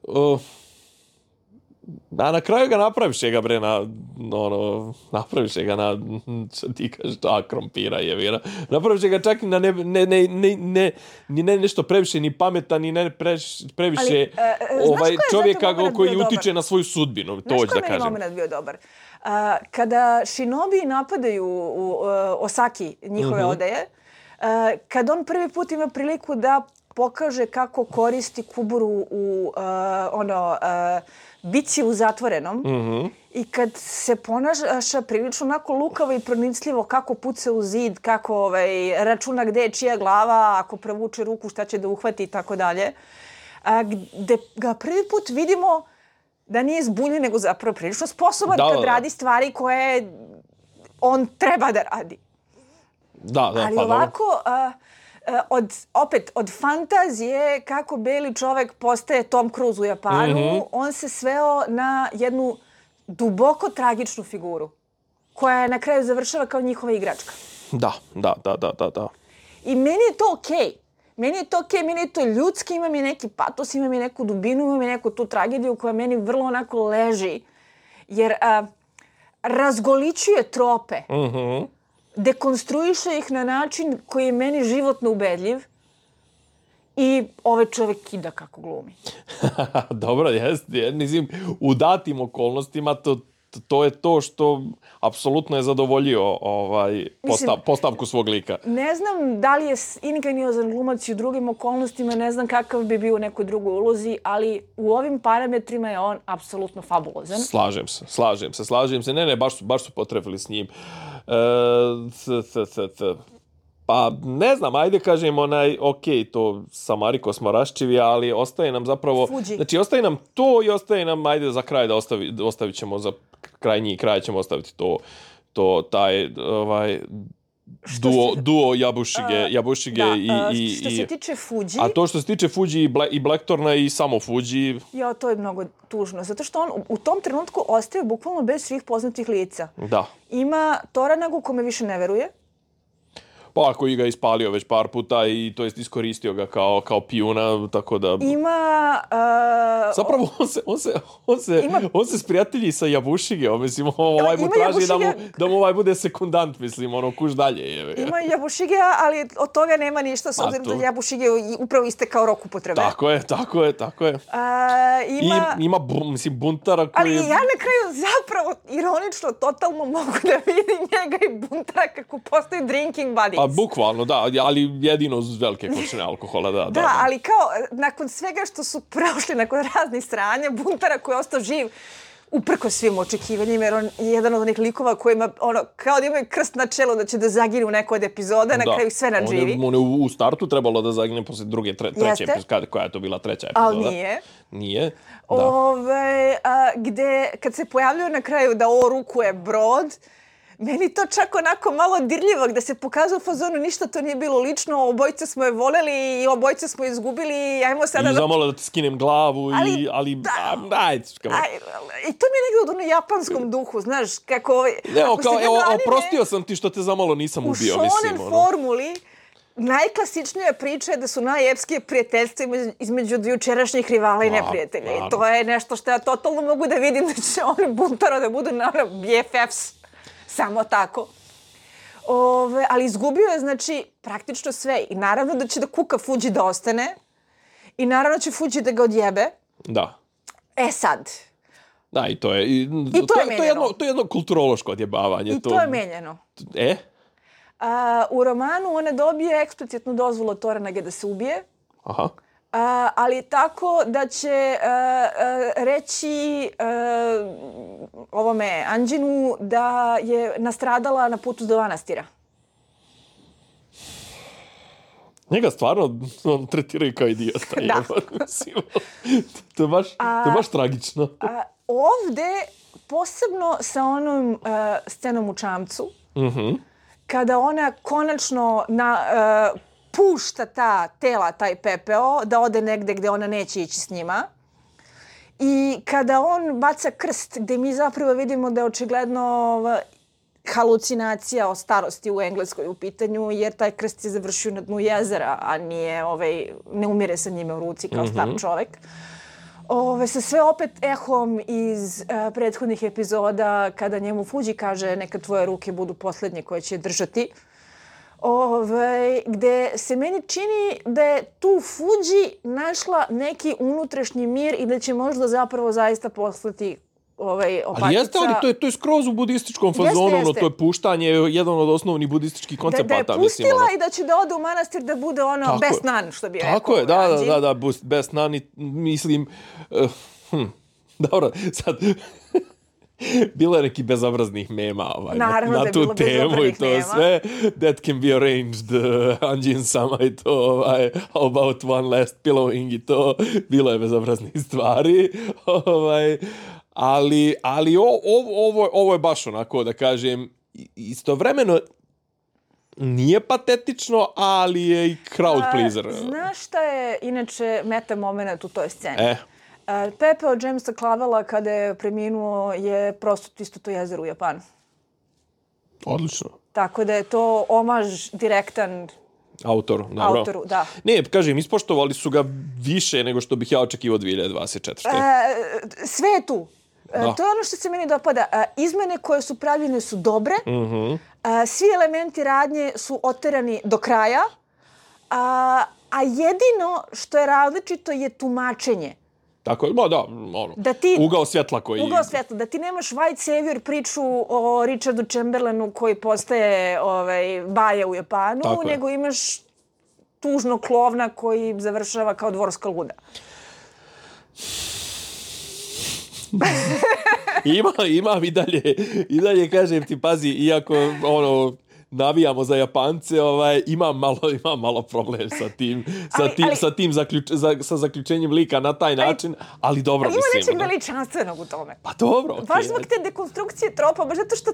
[SPEAKER 1] uh, a na kraju ga napraviše ga, bre, na, ono, napraviše ga na, što ti kažeš, a, krompira je, vira, napraviše ga čak na ne, ne, ne, ne, ne, ni ne nešto previše, ni pametan, ni ne preš, previše
[SPEAKER 2] ali, uh,
[SPEAKER 1] ovaj, čovjeka koji utiče na svoju sudbinu, to hoću da kažem.
[SPEAKER 2] Znaš koji je moment bio dobar? Uh, kada Shinobi napadaju u, uh, Osaki, njihove mm-hmm. odeje, uh, kad on prvi put ima priliku da pokaže kako koristi kuburu u uh, ono... Uh, bici u zatvorenom mm-hmm. i kad se ponaša prilično onako lukavo i pronicljivo kako puca u zid, kako ovaj, računa gde je čija glava, ako provuče ruku šta će da uhvati i tako dalje. A gde ga prvi put vidimo da nije zbunjen, nego zapravo prilično sposoban da, kad da, radi stvari koje on treba da radi.
[SPEAKER 1] Da, da,
[SPEAKER 2] ali
[SPEAKER 1] pa
[SPEAKER 2] ovako... A, Od, opet, od fantazije kako beli čovek postaje Tom Cruise u Japanu, mm-hmm. on se sveo na jednu duboko tragičnu figuru koja je na kraju završava kao njihova igračka.
[SPEAKER 1] Da, da, da, da, da, da.
[SPEAKER 2] I meni je to okej. Okay. Meni je to okej, okay. meni je to ljudski, ima mi neki patos, ima mi neku dubinu, ima mi neku tu tragediju koja meni vrlo onako leži. Jer a, razgoličuje trope.
[SPEAKER 1] Mhm.
[SPEAKER 2] Dekonstruiše ih na način koji je meni životno ubedljiv i ovaj čovjek kida kako glumi.
[SPEAKER 1] Dobro, jest, mislim, u datim okolnostima to, to je to što apsolutno je zadovoljio ovaj, postav, mislim, postavku svog lika.
[SPEAKER 2] Ne znam da li je ingeniozan glumac i u drugim okolnostima, ne znam kakav bi bio u nekoj drugoj ulozi, ali u ovim parametrima je on apsolutno fabulozan.
[SPEAKER 1] Slažem se, slažem se, slažem se. Ne, ne, baš su, baš su potrebili s njim. E, c, c, c, c. Pa ne znam, ajde kažem onaj, ok, to sa Mariko smo raščivi, ali ostaje nam zapravo...
[SPEAKER 2] Fuji.
[SPEAKER 1] Znači, ostaje nam to i ostaje nam, ajde za kraj da ostavi, ostavit ćemo za krajnji kraj ćemo ostaviti to, to taj, ovaj, duo, se, duo Yabushige, uh, Yabushige
[SPEAKER 2] da,
[SPEAKER 1] i,
[SPEAKER 2] uh,
[SPEAKER 1] i...
[SPEAKER 2] Što se tiče Fuji...
[SPEAKER 1] A to što se tiče Fuji i, Bla, i Blackthorna i samo Fuji...
[SPEAKER 2] Ja, to je mnogo tužno, zato što on u tom trenutku ostaje bukvalno bez svih poznatih lica.
[SPEAKER 1] Da.
[SPEAKER 2] Ima Toranagu kome više ne veruje.
[SPEAKER 1] Pa ako i ga ispalio već par puta i to jest iskoristio ga kao kao pijuna, tako da
[SPEAKER 2] ima uh,
[SPEAKER 1] zapravo on se on se on se
[SPEAKER 2] ima,
[SPEAKER 1] on se sprijatelji sa Yabushige, mislim ovaj mu traži da mu da mu ovaj bude sekundant, mislim, ono kuš dalje je.
[SPEAKER 2] Ima Yabushige, ali od toga nema ništa s obzirom da Yabushige upravo istekao rok upotrebe.
[SPEAKER 1] Tako je, tako je, tako je.
[SPEAKER 2] Uh, ima
[SPEAKER 1] I ima bu, mislim buntara koji
[SPEAKER 2] ali ja na kraju zapravo ironično totalno mogu da vidim njega i buntara kako postaju drinking buddies.
[SPEAKER 1] Pa bukvalno, da, ali jedino uz velike količine alkohola, da, da.
[SPEAKER 2] Da, ali kao, nakon svega što su prošli, nakon raznih sranja, buntara koji je ostao živ, uprko svim očekivanjima, jer on je jedan od onih likova koji ima, ono, kao da imaju krst na čelu da će da zagine u nekoj od epizoda, na kraju sve nadživi.
[SPEAKER 1] On je, on je u startu trebalo da zagine posle druge, tre, treće epizode, koja je to bila treća epizoda.
[SPEAKER 2] Ali nije.
[SPEAKER 1] Nije,
[SPEAKER 2] da. Ove, a, gde, kad se pojavljaju na kraju da ovo rukuje brod, meni to čak onako malo dirljivo, gde se pokazao u fazonu, ništa to nije bilo lično, obojice smo je voleli i obojice smo je izgubili, ajmo sada...
[SPEAKER 1] I zamalo da ti skinem glavu, ali, i, ali
[SPEAKER 2] da,
[SPEAKER 1] a, ajde.
[SPEAKER 2] Aj, i to mi je negdje u onom japanskom duhu, znaš, kako...
[SPEAKER 1] Evo, kao, evo, oprostio sam ti što te zamalo nisam ubio, mislim.
[SPEAKER 2] U shonen formuli, najklasičnija priča je da su najepskije prijateljstva između jučerašnjih rivala i neprijatelja. I to je nešto što ja totalno mogu da vidim da će oni buntaro da budu na B F Fs. Samo tako. Ove, ali izgubio je, znači, praktično sve. I naravno da će da kuka Fuji da ostane. I naravno će Fuji da ga odjebe.
[SPEAKER 1] Da.
[SPEAKER 2] E sad.
[SPEAKER 1] Da, i to je... I,
[SPEAKER 2] I to,
[SPEAKER 1] to
[SPEAKER 2] je menjeno.
[SPEAKER 1] To je jedno, to je jedno kulturološko odjebavanje.
[SPEAKER 2] I to, to je menjeno.
[SPEAKER 1] E?
[SPEAKER 2] A, u romanu ona dobije eksplicitnu dozvolu od Toranage da se ubije.
[SPEAKER 1] Aha.
[SPEAKER 2] A, ali tako da će a, a, reći a, ovome Anđinu da je nastradala na putu do manastira.
[SPEAKER 1] Njega stvarno on tretiraju kao idiota.
[SPEAKER 2] Da.
[SPEAKER 1] To je baš, to je baš tragično.
[SPEAKER 2] A, ovde, posebno sa onom a, scenom u čamcu,
[SPEAKER 1] Mhm.
[SPEAKER 2] kada ona konačno na, uh, pušta ta tela, taj pepeo, da ode negde gde ona neće ići s njima. I kada on baca krst, gde mi zapravo vidimo da je očigledno uh, halucinacija o starosti u Engleskoj u pitanju, jer taj krst je završio na dnu jezera, a nije, ovaj, ne umire sa njime u ruci kao star čovek. Ove, sa sve opet ehom iz uh, prethodnih epizoda kada njemu Fuji kaže neka tvoje ruke budu posljednje koje će držati. Ove, gde se meni čini da je tu Fuji našla neki unutrašnji mir i da će možda zapravo zaista poslati ovaj, opatica.
[SPEAKER 1] Ali jeste, ali to je, to je skroz u budističkom fazonu,
[SPEAKER 2] jeste,
[SPEAKER 1] ono,
[SPEAKER 2] jeste.
[SPEAKER 1] to je puštanje, jedan od osnovnih budističkih koncepata.
[SPEAKER 2] Da, da je pustila
[SPEAKER 1] mislim, ono.
[SPEAKER 2] i da će da ode u manastir da bude ono
[SPEAKER 1] Tako
[SPEAKER 2] best
[SPEAKER 1] je.
[SPEAKER 2] nun, što bi
[SPEAKER 1] Tako
[SPEAKER 2] rekao.
[SPEAKER 1] je, da, da,
[SPEAKER 2] Anđin.
[SPEAKER 1] da, da, bus- best nun, i, mislim, uh, hm, dobro, sad, bilo je neki bezobraznih mema ovaj,
[SPEAKER 2] Naravno
[SPEAKER 1] na,
[SPEAKER 2] da
[SPEAKER 1] na
[SPEAKER 2] je
[SPEAKER 1] tu
[SPEAKER 2] bilo
[SPEAKER 1] temu i
[SPEAKER 2] bezobraznih
[SPEAKER 1] to
[SPEAKER 2] mema.
[SPEAKER 1] sve. That can be arranged, uh, Anđin sama i to, ovaj, how about one last pillowing i to, bilo je bezobraznih stvari. Ovaj, ali ali o, o, ovo, ovo je baš onako, da kažem, istovremeno nije patetično, ali je i crowd pleaser.
[SPEAKER 2] A, znaš šta je inače meta moment u toj sceni?
[SPEAKER 1] E.
[SPEAKER 2] A, Pepe od Jamesa Clavella kada je preminuo je prosto isto to jezero u Japanu.
[SPEAKER 1] Odlično.
[SPEAKER 2] Tako da je to omaž direktan
[SPEAKER 1] Autoru, dobro.
[SPEAKER 2] autoru, da.
[SPEAKER 1] Ne, kažem, ispoštovali su ga više nego što bih ja očekivao dvije hiljade dvadeset četvrte.
[SPEAKER 2] E, sve je tu. E,
[SPEAKER 1] Da.
[SPEAKER 2] to je ono što se meni dopada. E, izmene koje su pravljene su dobre.
[SPEAKER 1] Mhm.
[SPEAKER 2] E, svi elementi radnje su oterani do kraja. A, a jedino što je različito je tumačenje.
[SPEAKER 1] Tako je, ma da, ono,
[SPEAKER 2] Da ti-
[SPEAKER 1] ugao svjetla koji...
[SPEAKER 2] Ugao svjetla, da ti nemaš White Savior priču o Richardu Chamberlainu koji postaje ovaj, baja u Japanu,
[SPEAKER 1] Tako je.
[SPEAKER 2] nego imaš tužnog klovna koji završava kao dvorska luda.
[SPEAKER 1] Ima, imam i dalje, i dalje kažem ti, pazi, iako ono, navijamo za Japance, ovaj, imam malo, imam malo problem sa tim, sa
[SPEAKER 2] Ali-
[SPEAKER 1] tim,
[SPEAKER 2] ali-
[SPEAKER 1] sa tim zaključ, za, sa zaključenjem lika na taj način, ali dobro,
[SPEAKER 2] Ima
[SPEAKER 1] mislim.
[SPEAKER 2] nečeg
[SPEAKER 1] ono.
[SPEAKER 2] veličanstvenog u tome.
[SPEAKER 1] Pa dobro, okej.
[SPEAKER 2] Baš zbog te dekonstrukcije tropa, baš zato što,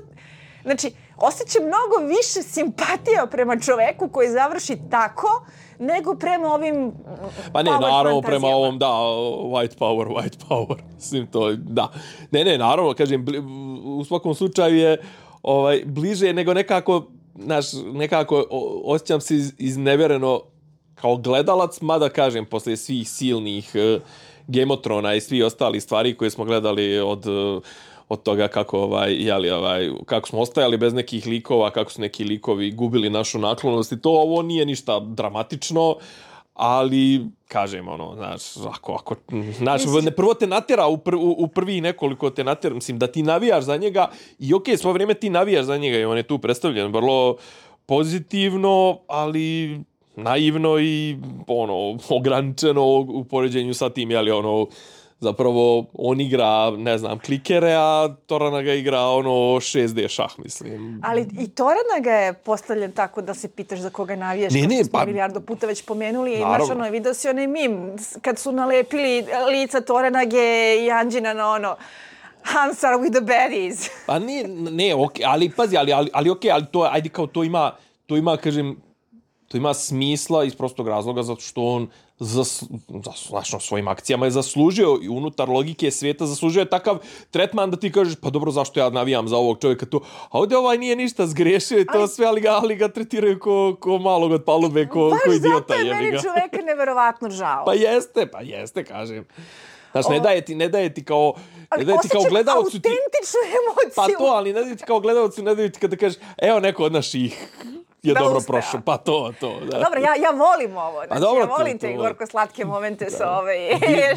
[SPEAKER 2] znači, osjećam mnogo više simpatija prema čoveku koji završi tako, nego prema ovim
[SPEAKER 1] Pa ne,
[SPEAKER 2] power
[SPEAKER 1] naravno, prema
[SPEAKER 2] fantazijama.
[SPEAKER 1] ovom, da, white power, white power. Mislim, to, da. Ne, ne, naravno, kažem, bli, u svakom slučaju je ovaj, bliže nego nekako, znaš, nekako o- osjećam se iz, iznevjereno kao gledalac, mada kažem, posle svih silnih uh, Game of Thrones i svih ostalih stvari koje smo gledali od... Uh, od toga kako ovaj jeli ovaj kako smo ostajali bez nekih likova, kako su neki likovi gubili našu naklonost i to, ovo nije ništa dramatično, ali kažem ono, znaš, ako ako znaš, ne, prvo te natjera u, pr, u, u prvi nekoliko te natjera, mislim da ti navijaš za njega i okej, svo vrijeme ti navijaš za njega i on je tu predstavljen vrlo pozitivno, ali naivno i ono ograničeno u poređenju sa tim, jeli ono zapravo on igra, ne znam, klikere, a Toranaga igra ono šest D šah, mislim.
[SPEAKER 2] Ali i Toranaga je postavljen tako da se pitaš za koga navijaš,
[SPEAKER 1] Ne,
[SPEAKER 2] kao
[SPEAKER 1] ne,
[SPEAKER 2] što smo
[SPEAKER 1] pa-
[SPEAKER 2] milijardu puta već pomenuli. I
[SPEAKER 1] Naravno.
[SPEAKER 2] znaš, ono, vidio si onaj mim, s- kad su nalepili lica Toranage i Anđina na ono, Hansar with the baddies.
[SPEAKER 1] Pa ne, ne, okej, ali pazi, ali, ali, ali okej, ali to, ajde kao to ima, to ima, kažem, to ima smisla iz prostog razloga zato što on zas, zas, svojim akcijama je zaslužio i unutar logike svijeta zaslužio je takav tretman da ti kažeš pa dobro zašto ja navijam za ovog čovjeka tu, a ovdje ovaj nije ništa zgrešio i to ali, sve, ali ga, ali ga tretiraju ko, ko malog od palube, ko, ko idiota.
[SPEAKER 2] Baš zato je meni čovjeka neverovatno žao.
[SPEAKER 1] Pa jeste, pa jeste, kažem. Znaš, ne daje ti, ne daje ti kao... Ne daje ti kao gledalcu ti...
[SPEAKER 2] autentičnu emociju.
[SPEAKER 1] Pa to, ali ne daje ti kao gledalcu, ne daje ti kada kažeš, evo neko od naših je da dobro uspe, prošao, pa to, to. Da.
[SPEAKER 2] Dobro, ja, ja volim ovo, znači,
[SPEAKER 1] dobro,
[SPEAKER 2] ja volim
[SPEAKER 1] to,
[SPEAKER 2] te
[SPEAKER 1] to,
[SPEAKER 2] gorko-slatke momente da. Sa ove...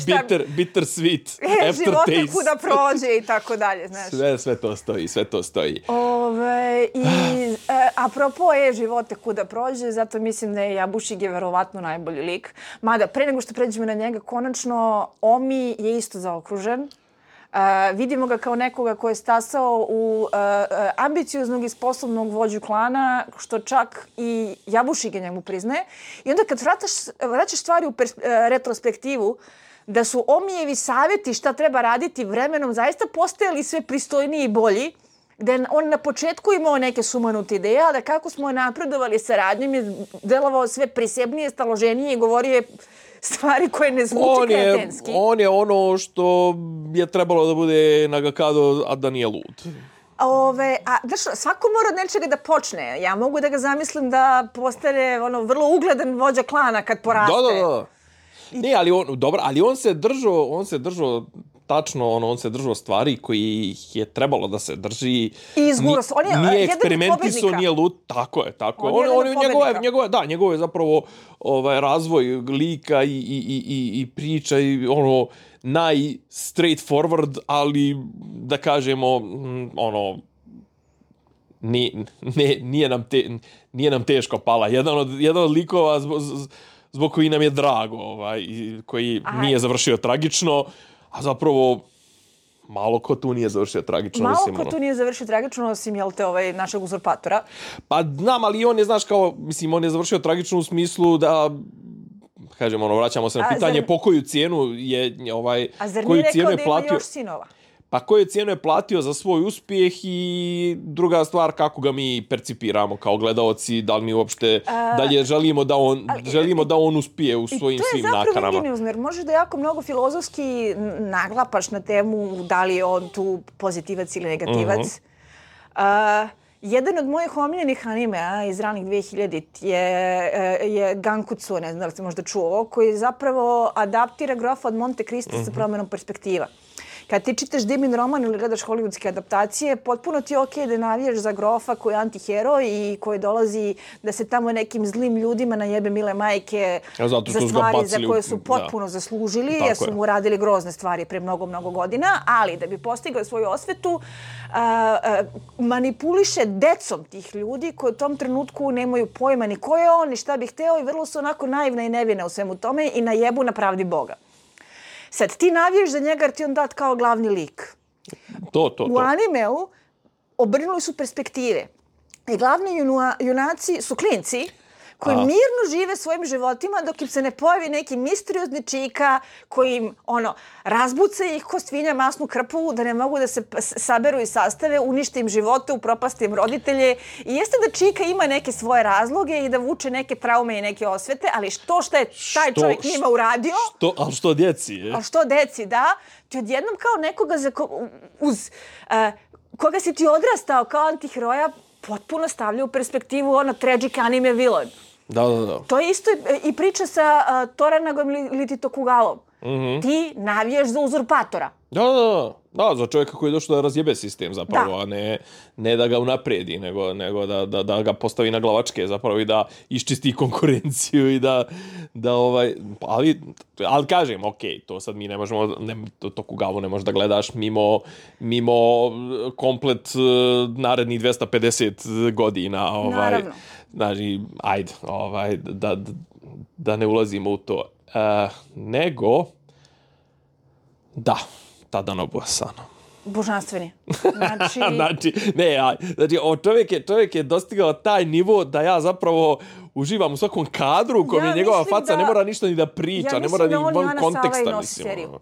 [SPEAKER 1] bitter, bitter sweet, aftertaste.
[SPEAKER 2] Živote kuda prođe i tako dalje, znaš.
[SPEAKER 1] Sve, sve to stoji, sve to stoji.
[SPEAKER 2] Ove, i e, apropo je živote kuda prođe, zato mislim da je Jabušig je verovatno najbolji lik. Mada, pre nego što pređemo na njega, konačno, Omi je isto zaokružen. Uh, vidimo ga kao nekoga ko je stasao u uh, ambicioznog i sposobnog vođu klana, što čak i Jabušig njemu priznaje. I onda kad vrataš, vraćaš stvari u pers- uh, retrospektivu, da su Omijevi savjeti šta treba raditi vremenom zaista postajali sve pristojniji i bolji, da je on na početku imao neke sumanute ideje, a da kako smo napredovali saradnjom je delovao sve prisebnije, staloženije i govorio je stvari koje ne zvuči
[SPEAKER 1] on je,
[SPEAKER 2] kretenski.
[SPEAKER 1] On je ono što je trebalo da bude Nagakado, a da nije lud.
[SPEAKER 2] Ove, a znaš, svako mora od nečega da počne. Ja mogu da ga zamislim da postane ono, vrlo ugledan vođa klana kad poraste.
[SPEAKER 1] Da, da, da. Ne, ali on, dobro, ali on se držao, on se držao tačno, ono, on se držao stvari koji je trebalo da se drži.
[SPEAKER 2] I izguro se. On je
[SPEAKER 1] nije eksperimentisao, nije lud. Tako je, tako je. On, on, on njegove, njegove, da, njegove zapravo ovaj, razvoj lika i, i, i, i priča i ono, naj straightforward, ali da kažemo, ono, ni, ne, nije, nam te, nije nam teško pala. Jedan od, jedan od likova zbog, zbog koji nam je drago, ovaj, koji Aj. nije završio tragično, a zapravo malo ko tu nije završio tragično.
[SPEAKER 2] Malo
[SPEAKER 1] mislim,
[SPEAKER 2] ko
[SPEAKER 1] ono.
[SPEAKER 2] tu nije završio tragično, osim, jel te, ovaj, našeg uzurpatora.
[SPEAKER 1] Pa znam, ali on je, znaš, kao, mislim, on je završio tragično u smislu da, kažemo, ono, vraćamo se na pitanje zar... po koju cijenu je, ovaj,
[SPEAKER 2] a zar
[SPEAKER 1] koju
[SPEAKER 2] nije
[SPEAKER 1] cijenu
[SPEAKER 2] rekao
[SPEAKER 1] je
[SPEAKER 2] da ima
[SPEAKER 1] platio...
[SPEAKER 2] još sinova?
[SPEAKER 1] Pa koju cijenu je platio za svoj uspjeh i druga stvar kako ga mi percipiramo kao gledaoci, da li mi uopšte uh, dalje želimo da on ali, želimo da on uspije u svojim svim nakanama. I to je zapravo
[SPEAKER 2] ingeniozno, jer možeš da jako mnogo filozofski naglapaš na temu da li je on tu pozitivac ili negativac. Uh-huh. Uh, jedan od mojih omiljenih animea iz ranih dve hiljaditih je, je Gankutsu, ne znam da li ste možda čuo, koji zapravo adaptira grofa od Monte Cristo uh-huh. sa promjenom perspektiva. Kad ti čitaš Dimin roman ili gledaš hollywoodske adaptacije, potpuno ti je okej da navijaš za grofa koji je antiheroj i koji dolazi da se tamo nekim zlim ljudima najebe mile majke za stvari za koje su potpuno da. zaslužili, jer su mu radili grozne stvari pre mnogo, mnogo godina, ali da bi postigao svoju osvetu, a, a, manipuliše decom tih ljudi koji u tom trenutku nemaju pojma ni ko je on, ni šta bi hteo i vrlo su onako naivna i nevina u svemu tome i najebu na pravdi Boga. Sad, ti navijaš za njega jer ti on dat kao glavni lik.
[SPEAKER 1] To, to, to.
[SPEAKER 2] U animeu obrnuli su perspektive. I glavni juna, junaci su klinci koji A. mirno žive svojim životima dok im se ne pojavi neki misteriozni čika koji im ono, razbuca ih ko svinja masnu krpu da ne mogu da se saberu i sastave, unište im živote, upropaste im roditelje. I jeste da čika ima neke svoje razloge i da vuče neke traume i neke osvete, ali što što je taj što, čovjek njima uradio...
[SPEAKER 1] Što, ali što djeci, je?
[SPEAKER 2] Ali što djeci, da. Ti odjednom kao nekoga za ko, uz uh, koga si ti odrastao kao antiheroja potpuno stavlja u perspektivu ono tragic anime villain.
[SPEAKER 1] Da, da, da.
[SPEAKER 2] To je isto i priča sa uh, Toranagom ili Tokugavom.
[SPEAKER 1] Mm-hmm.
[SPEAKER 2] Ti navijaš za uzurpatora.
[SPEAKER 1] Da, da, da. Da, za čovjeka koji je došao da razjebe sistem zapravo, da. a ne, ne da ga unapredi, nego, nego da, da, da ga postavi na glavačke zapravo i da iščisti konkurenciju i da, da ovaj, ali, ali kažem, ok, to sad mi ne možemo, ne, Tokugavu ne možeš da gledaš mimo, mimo komplet narednih dvesta pedeset godina, ovaj,
[SPEAKER 2] naravno.
[SPEAKER 1] Znači, ajde, ovaj, da, da, da ne ulazimo u to. Uh, nego, da, Tadanobu Asano.
[SPEAKER 2] Božanstveni. Znači,
[SPEAKER 1] znači, ne, ja, znači, o, čovjek, je, čovjek je dostigao taj nivo da ja zapravo uživam u svakom kadru u kojem ja je njegova faca, da, ne mora ništa ni da priča,
[SPEAKER 2] ja
[SPEAKER 1] ne mora ni
[SPEAKER 2] da
[SPEAKER 1] van konteksta, mislim.
[SPEAKER 2] Seriju.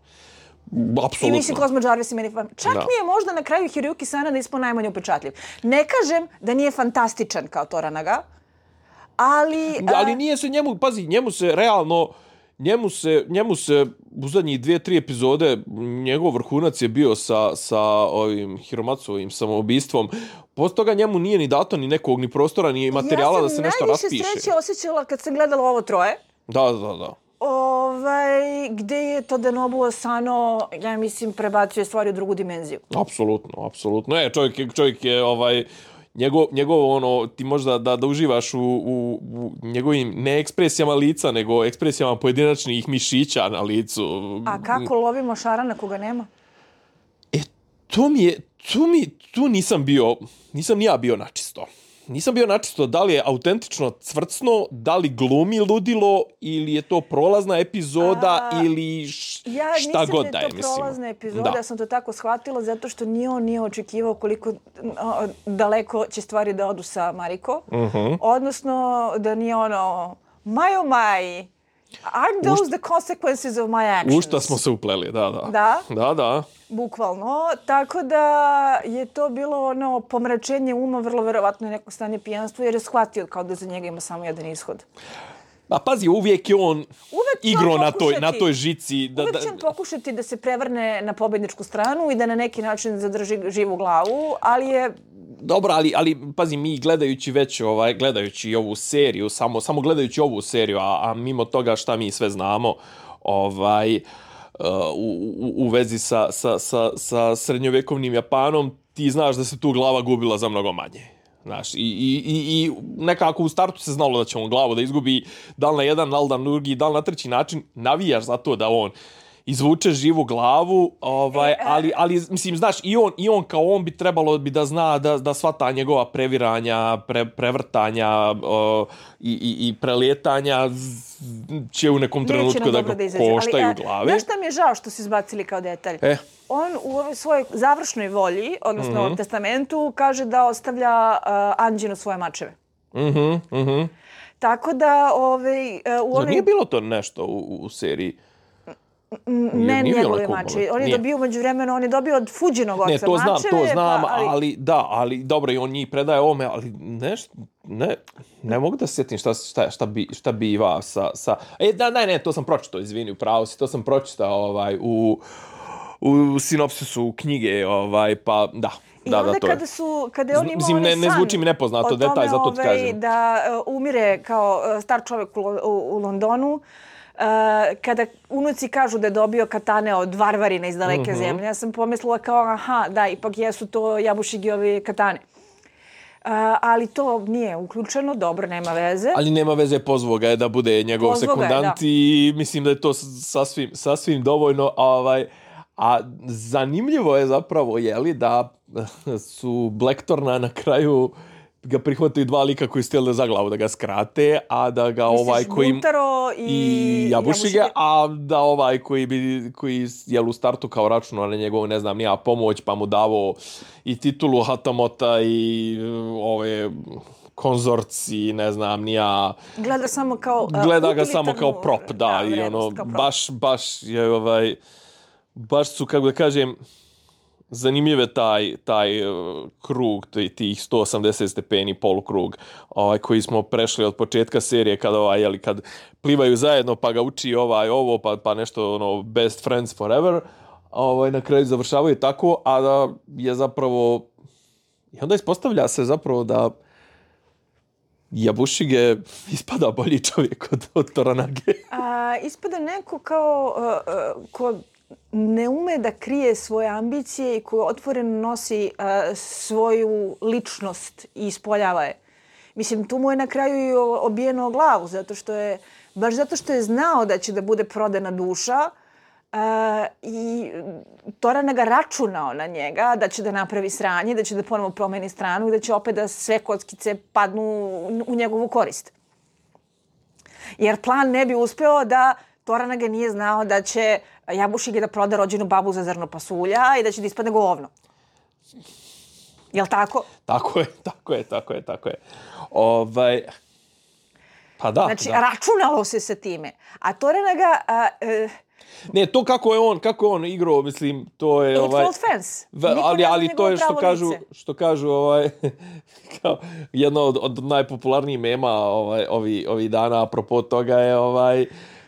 [SPEAKER 1] Apsolutno.
[SPEAKER 2] I mislim, Cosmo Jarvis i meni... Čak
[SPEAKER 1] da.
[SPEAKER 2] mi je možda na kraju Hiroyuki Sanada ispao najmanje upečatljiv. Ne kažem da nije fantastičan kao Toranaga, ali...
[SPEAKER 1] Ali nije se njemu, pazi, njemu se realno, njemu se, njemu se u zadnjih dvije, tri epizode, njegov vrhunac je bio sa, sa ovim Hiromatsovim samoubistvom. Posto toga njemu nije ni dato ni nekog, ni prostora, ni materijala da se nešto raspiše.
[SPEAKER 2] Ja sam najviše sreće osjećala kad sam gledala ovo troje.
[SPEAKER 1] Da, da, da.
[SPEAKER 2] Ovaj, gde je to Denobu Asano, ja mislim, prebacuje stvari u drugu dimenziju.
[SPEAKER 1] Apsolutno, apsolutno. E, čovjek je, čovjek je ovaj, njegov, njegov ono, ti možda da, da uživaš u, u, u njegovim ne ekspresijama lica, nego ekspresijama pojedinačnih mišića na licu.
[SPEAKER 2] A kako lovimo Šarana koga nema?
[SPEAKER 1] E, to mi je, tu mi, tu nisam bio, nisam ni ja bio načisto. Nisam bio načisto da li je autentično cvrcno, da li glumi ludilo ili je to prolazna epizoda A, ili š,
[SPEAKER 2] ja
[SPEAKER 1] šta god da je.
[SPEAKER 2] Ja nisam da je to prolazna epizoda, ja sam to tako shvatila zato što nije on nije očekivao koliko o, daleko će stvari da odu sa Mariko. Uh-huh. Odnosno da nije ono, my oh my, aren't those Ušt... the consequences of my actions?
[SPEAKER 1] U šta smo se upleli, da, da.
[SPEAKER 2] Da?
[SPEAKER 1] Da, da.
[SPEAKER 2] Bukvalno, tako da je to bilo ono pomračenje uma, vrlo verovatno je neko stanje pijanstva, jer je shvatio kao da za njega ima samo jedan ishod.
[SPEAKER 1] A pazi, uvijek je on
[SPEAKER 2] uvijek
[SPEAKER 1] igro na toj, na toj žici. Da,
[SPEAKER 2] uvijek će on pokušati da se prevrne na pobedničku stranu i da na neki način zadrži živu glavu, ali je...
[SPEAKER 1] Dobro, ali, ali pazi, mi gledajući već, ovaj, gledajući ovu seriju, samo, samo gledajući ovu seriju, a, a mimo toga šta mi sve znamo, ovaj... U, u, u vezi sa, sa, sa, sa srednjovjekovnim Japanom, ti znaš da se tu glava gubila za mnogo manje. Znaš, i, i, i nekako u startu se znalo da će on glavu da izgubi, da li na jedan, da li na drugi, da li na treći način, navijaš za to da on izvuče živu glavu, ovaj, ali, ali mislim, znaš, i on, i on kao on bi trebalo bi da zna da, da sva ta njegova previranja, pre, prevrtanja uh, i, i, i prelijetanja će u nekom trenutku da ga da koštaju ali, glave.
[SPEAKER 2] Znaš šta mi je žao što su izbacili kao detalj?
[SPEAKER 1] E.
[SPEAKER 2] On u ovoj svojoj završnoj volji, odnosno mm-hmm. testamentu, kaže da ostavlja uh, Anđinu svoje mačeve.
[SPEAKER 1] Mhm, mhm.
[SPEAKER 2] Tako da, ovaj, uh, u onoj...
[SPEAKER 1] Nije bilo to nešto u, u seriji?
[SPEAKER 2] Ne, njegove mače. On je nije. dobio među vremena, on je dobio od Fuđinog oca mačeve.
[SPEAKER 1] Ne, to znam,
[SPEAKER 2] mačeve,
[SPEAKER 1] to znam,
[SPEAKER 2] pa, ali...
[SPEAKER 1] ali da, ali dobro, i on njih predaje ovome, ali nešto, ne, ne mogu da se sjetim šta, šta, šta, bi, šta biva sa, sa... E, da, ne, ne, to sam pročitao, izvini, upravo si, to sam pročitao ovaj, u, u sinopsisu knjige, ovaj, pa da.
[SPEAKER 2] I
[SPEAKER 1] da,
[SPEAKER 2] onda
[SPEAKER 1] da, to
[SPEAKER 2] kada
[SPEAKER 1] je.
[SPEAKER 2] su, kada je on imao
[SPEAKER 1] Mislim, ne, ne zvuči mi nepoznato detalj, zato ti kažem.
[SPEAKER 2] Da uh, umire kao uh, star čovjek u, u, u Londonu, Uh, kada unuci kažu da je dobio katane od varvarina iz daleke mm-hmm. zemlje, ja sam pomislila kao, aha, da, ipak jesu to Jabušigiovi katane. Uh, ali to nije uključeno, dobro, nema veze.
[SPEAKER 1] Ali nema veze, pozvao ga je da bude njegov pozvo sekundant je, i mislim da je to sasvim, sasvim dovoljno. Ovaj, a zanimljivo je zapravo, jeli, da su Blackthorna na kraju ga prihvataju dva lika koji su htjeli za glavu da ga skrate, a da ga
[SPEAKER 2] Misliš,
[SPEAKER 1] ovaj koji...
[SPEAKER 2] Buntaro i,
[SPEAKER 1] i Jabušiga, a da ovaj koji bi, koji je u startu kao računao na njegovu, ne znam, nija pomoć, pa mu davo i titulu Hatamota i ove konzorci, ne znam, nija...
[SPEAKER 2] Gleda samo kao... Uh,
[SPEAKER 1] gleda ga samo kao prop, da,
[SPEAKER 2] da
[SPEAKER 1] i ono,
[SPEAKER 2] prop.
[SPEAKER 1] baš, baš je ovaj... Baš su, kako da kažem, zanimljive taj, taj uh, krug, tih sto osamdeset stepeni polukrug ovaj, koji smo prešli od početka serije kada, ovaj, jeli, kad plivaju zajedno pa ga uči ovaj, ovo pa, pa nešto ono, best friends forever, ovaj, na kraju završavaju tako, a da je zapravo i onda ispostavlja se zapravo da Jabušige ispada bolji čovjek od, od Toranage.
[SPEAKER 2] A, ispada neko kao uh, uh, ko ne ume da krije svoje ambicije i koji otvoreno nosi uh, svoju ličnost i ispoljava je. Mislim, tu mu je na kraju i obijeno glavu, zato što je, baš zato što je znao da će da bude prodana duša uh, i Toranaga računao na njega da će da napravi sranje, da će da ponovo promeni stranu i da će opet da sve kockice padnu u njegovu korist. Jer plan ne bi uspeo da Toranaga nije znao da će Jabušige da proda rođenu babu za zrno pasulja i da će da ispadne govno. Jel' tako?
[SPEAKER 1] Tako je, tako je, tako je, tako je. Ovaj... Pa da,
[SPEAKER 2] znači,
[SPEAKER 1] da.
[SPEAKER 2] računalo se sa time. A Toranaga, a, e,
[SPEAKER 1] Ne, to kako je on, kako je on igrao, mislim, to je
[SPEAKER 2] Eight
[SPEAKER 1] ovaj
[SPEAKER 2] Fold Fence.
[SPEAKER 1] v,
[SPEAKER 2] Niko
[SPEAKER 1] ali
[SPEAKER 2] ne zna
[SPEAKER 1] ali to
[SPEAKER 2] njegovo
[SPEAKER 1] je što
[SPEAKER 2] pravo
[SPEAKER 1] kažu,
[SPEAKER 2] lice.
[SPEAKER 1] što kažu ovaj kao jedno od, od najpopularnijih mema ovaj ovi ovi dana apropo toga je ovaj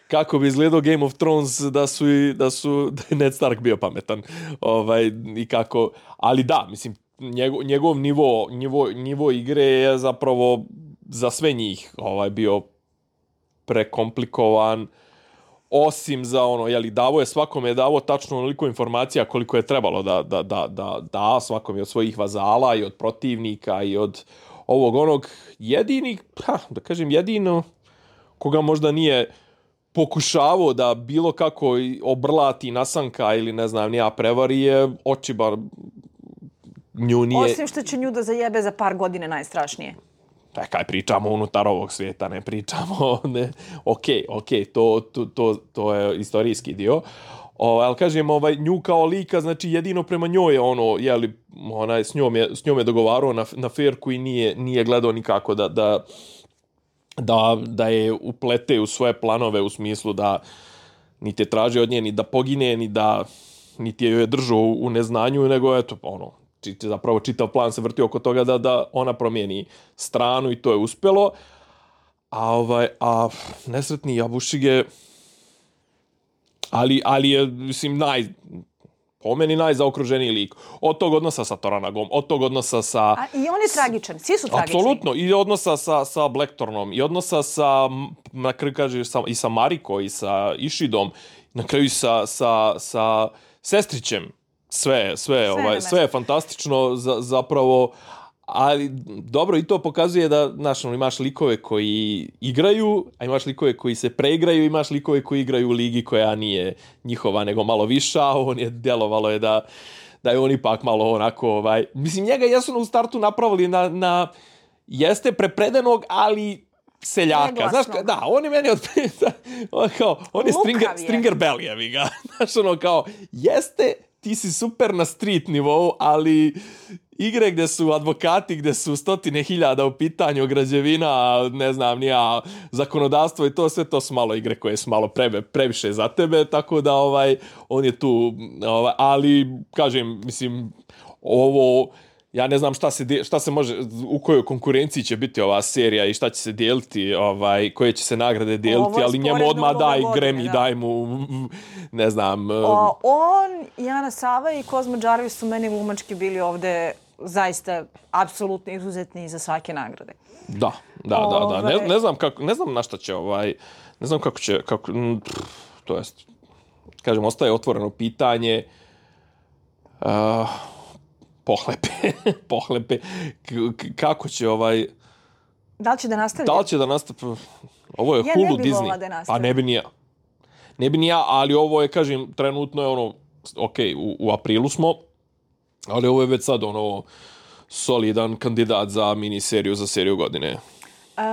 [SPEAKER 1] kako bi izgledao Game of Thrones da su i da su da je Ned Stark bio pametan. Ovaj i kako, ali da, mislim njegov, njegov nivo, nivo nivo igre je zapravo za sve njih ovaj bio prekomplikovan. Osim za ono, jeli, davo je svakome je davo tačno onoliko informacija koliko je trebalo da da, da, da, da svakome od svojih vazala i od protivnika i od ovog onog jedini, ha, da kažem jedino, koga možda nije pokušavao da bilo kako obrlati nasanka ili ne znam nija prevari je Očibar nju nije...
[SPEAKER 2] Osim što će nju da zajebe za par godine najstrašnije.
[SPEAKER 1] Pa kaj pričamo unutar ovog svijeta, ne pričamo, ne, okej, okay, okej, okay, to, to, to, to je istorijski dio. O, ali kažem, ovaj, nju kao lika, znači jedino prema njoj je ono, jeli, onaj, s njom je, s njom je dogovarao na, na ferku i nije, nije gledao nikako da, da, da, da je uplete u svoje planove u smislu da niti je traži od nje ni da pogine, ni da niti je joj je držao u neznanju, nego eto, ono, zapravo čitav plan se vrti oko toga da da ona promijeni stranu i to je uspjelo. A ovaj a nesretni Jabušige ali ali je mislim naj po meni najzaokruženiji lik. Od tog odnosa sa Toranagom, od tog odnosa sa
[SPEAKER 2] A i on je tragičan, svi su tragični.
[SPEAKER 1] Apsolutno, i odnosa sa sa Blackthornom, i odnosa sa na kraju kaže sa, i sa Mariko i sa Ishidom, na kraju sa sa sa sestrićem. Sve, sve, sve, ovaj, sve je fantastično za, zapravo, ali dobro i to pokazuje da, znaš, imaš likove koji igraju, a imaš likove koji se preigraju, imaš likove koji igraju u ligi koja nije njihova, nego malo viša, on je djelovalo je da, da je on ipak malo onako, ovaj, mislim, njega jesu u startu napravili na, na jeste prepredenog, ali seljaka, znaš, da, on je meni od on, kao, on je Stringer, Stringer Bell, jevi ga, znaš, ono kao, jeste, ti si super na street nivou, ali igre gdje su advokati, gdje su stotine hiljada u pitanju građevina, ne znam, nija zakonodavstvo i to, sve to su malo igre koje su malo pre, previše za tebe, tako da ovaj on je tu, ovaj, ali kažem, mislim, ovo, ja ne znam šta se, šta se može, u kojoj konkurenciji će biti ova serija i šta će se dijeliti, ovaj, koje će se nagrade dijeliti, ali njemu odmah daj Grammy, daj mu, ne znam.
[SPEAKER 2] O, on, Jana Sava i Kozmo Jarvis su meni glumački bili ovde zaista apsolutno izuzetni za svake nagrade.
[SPEAKER 1] Da, da, da, da. Ne, ne znam kako, ne znam na šta će ovaj, ne znam kako će, kako, to jest, kažem, ostaje otvoreno pitanje, uh, pohlepe, pohlepe, K- kako će ovaj...
[SPEAKER 2] Da li će da nastavi?
[SPEAKER 1] Da li će da nastavi? Ovo je
[SPEAKER 2] ja
[SPEAKER 1] Hulu
[SPEAKER 2] ne bi
[SPEAKER 1] Disney.
[SPEAKER 2] Da
[SPEAKER 1] pa ne bi ni ja. Ne bi ni ja, ali ovo je, kažem, trenutno je ono, ok, u, u aprilu smo, ali ovo je već sad ono solidan kandidat za miniseriju, za seriju godine.
[SPEAKER 2] Uh,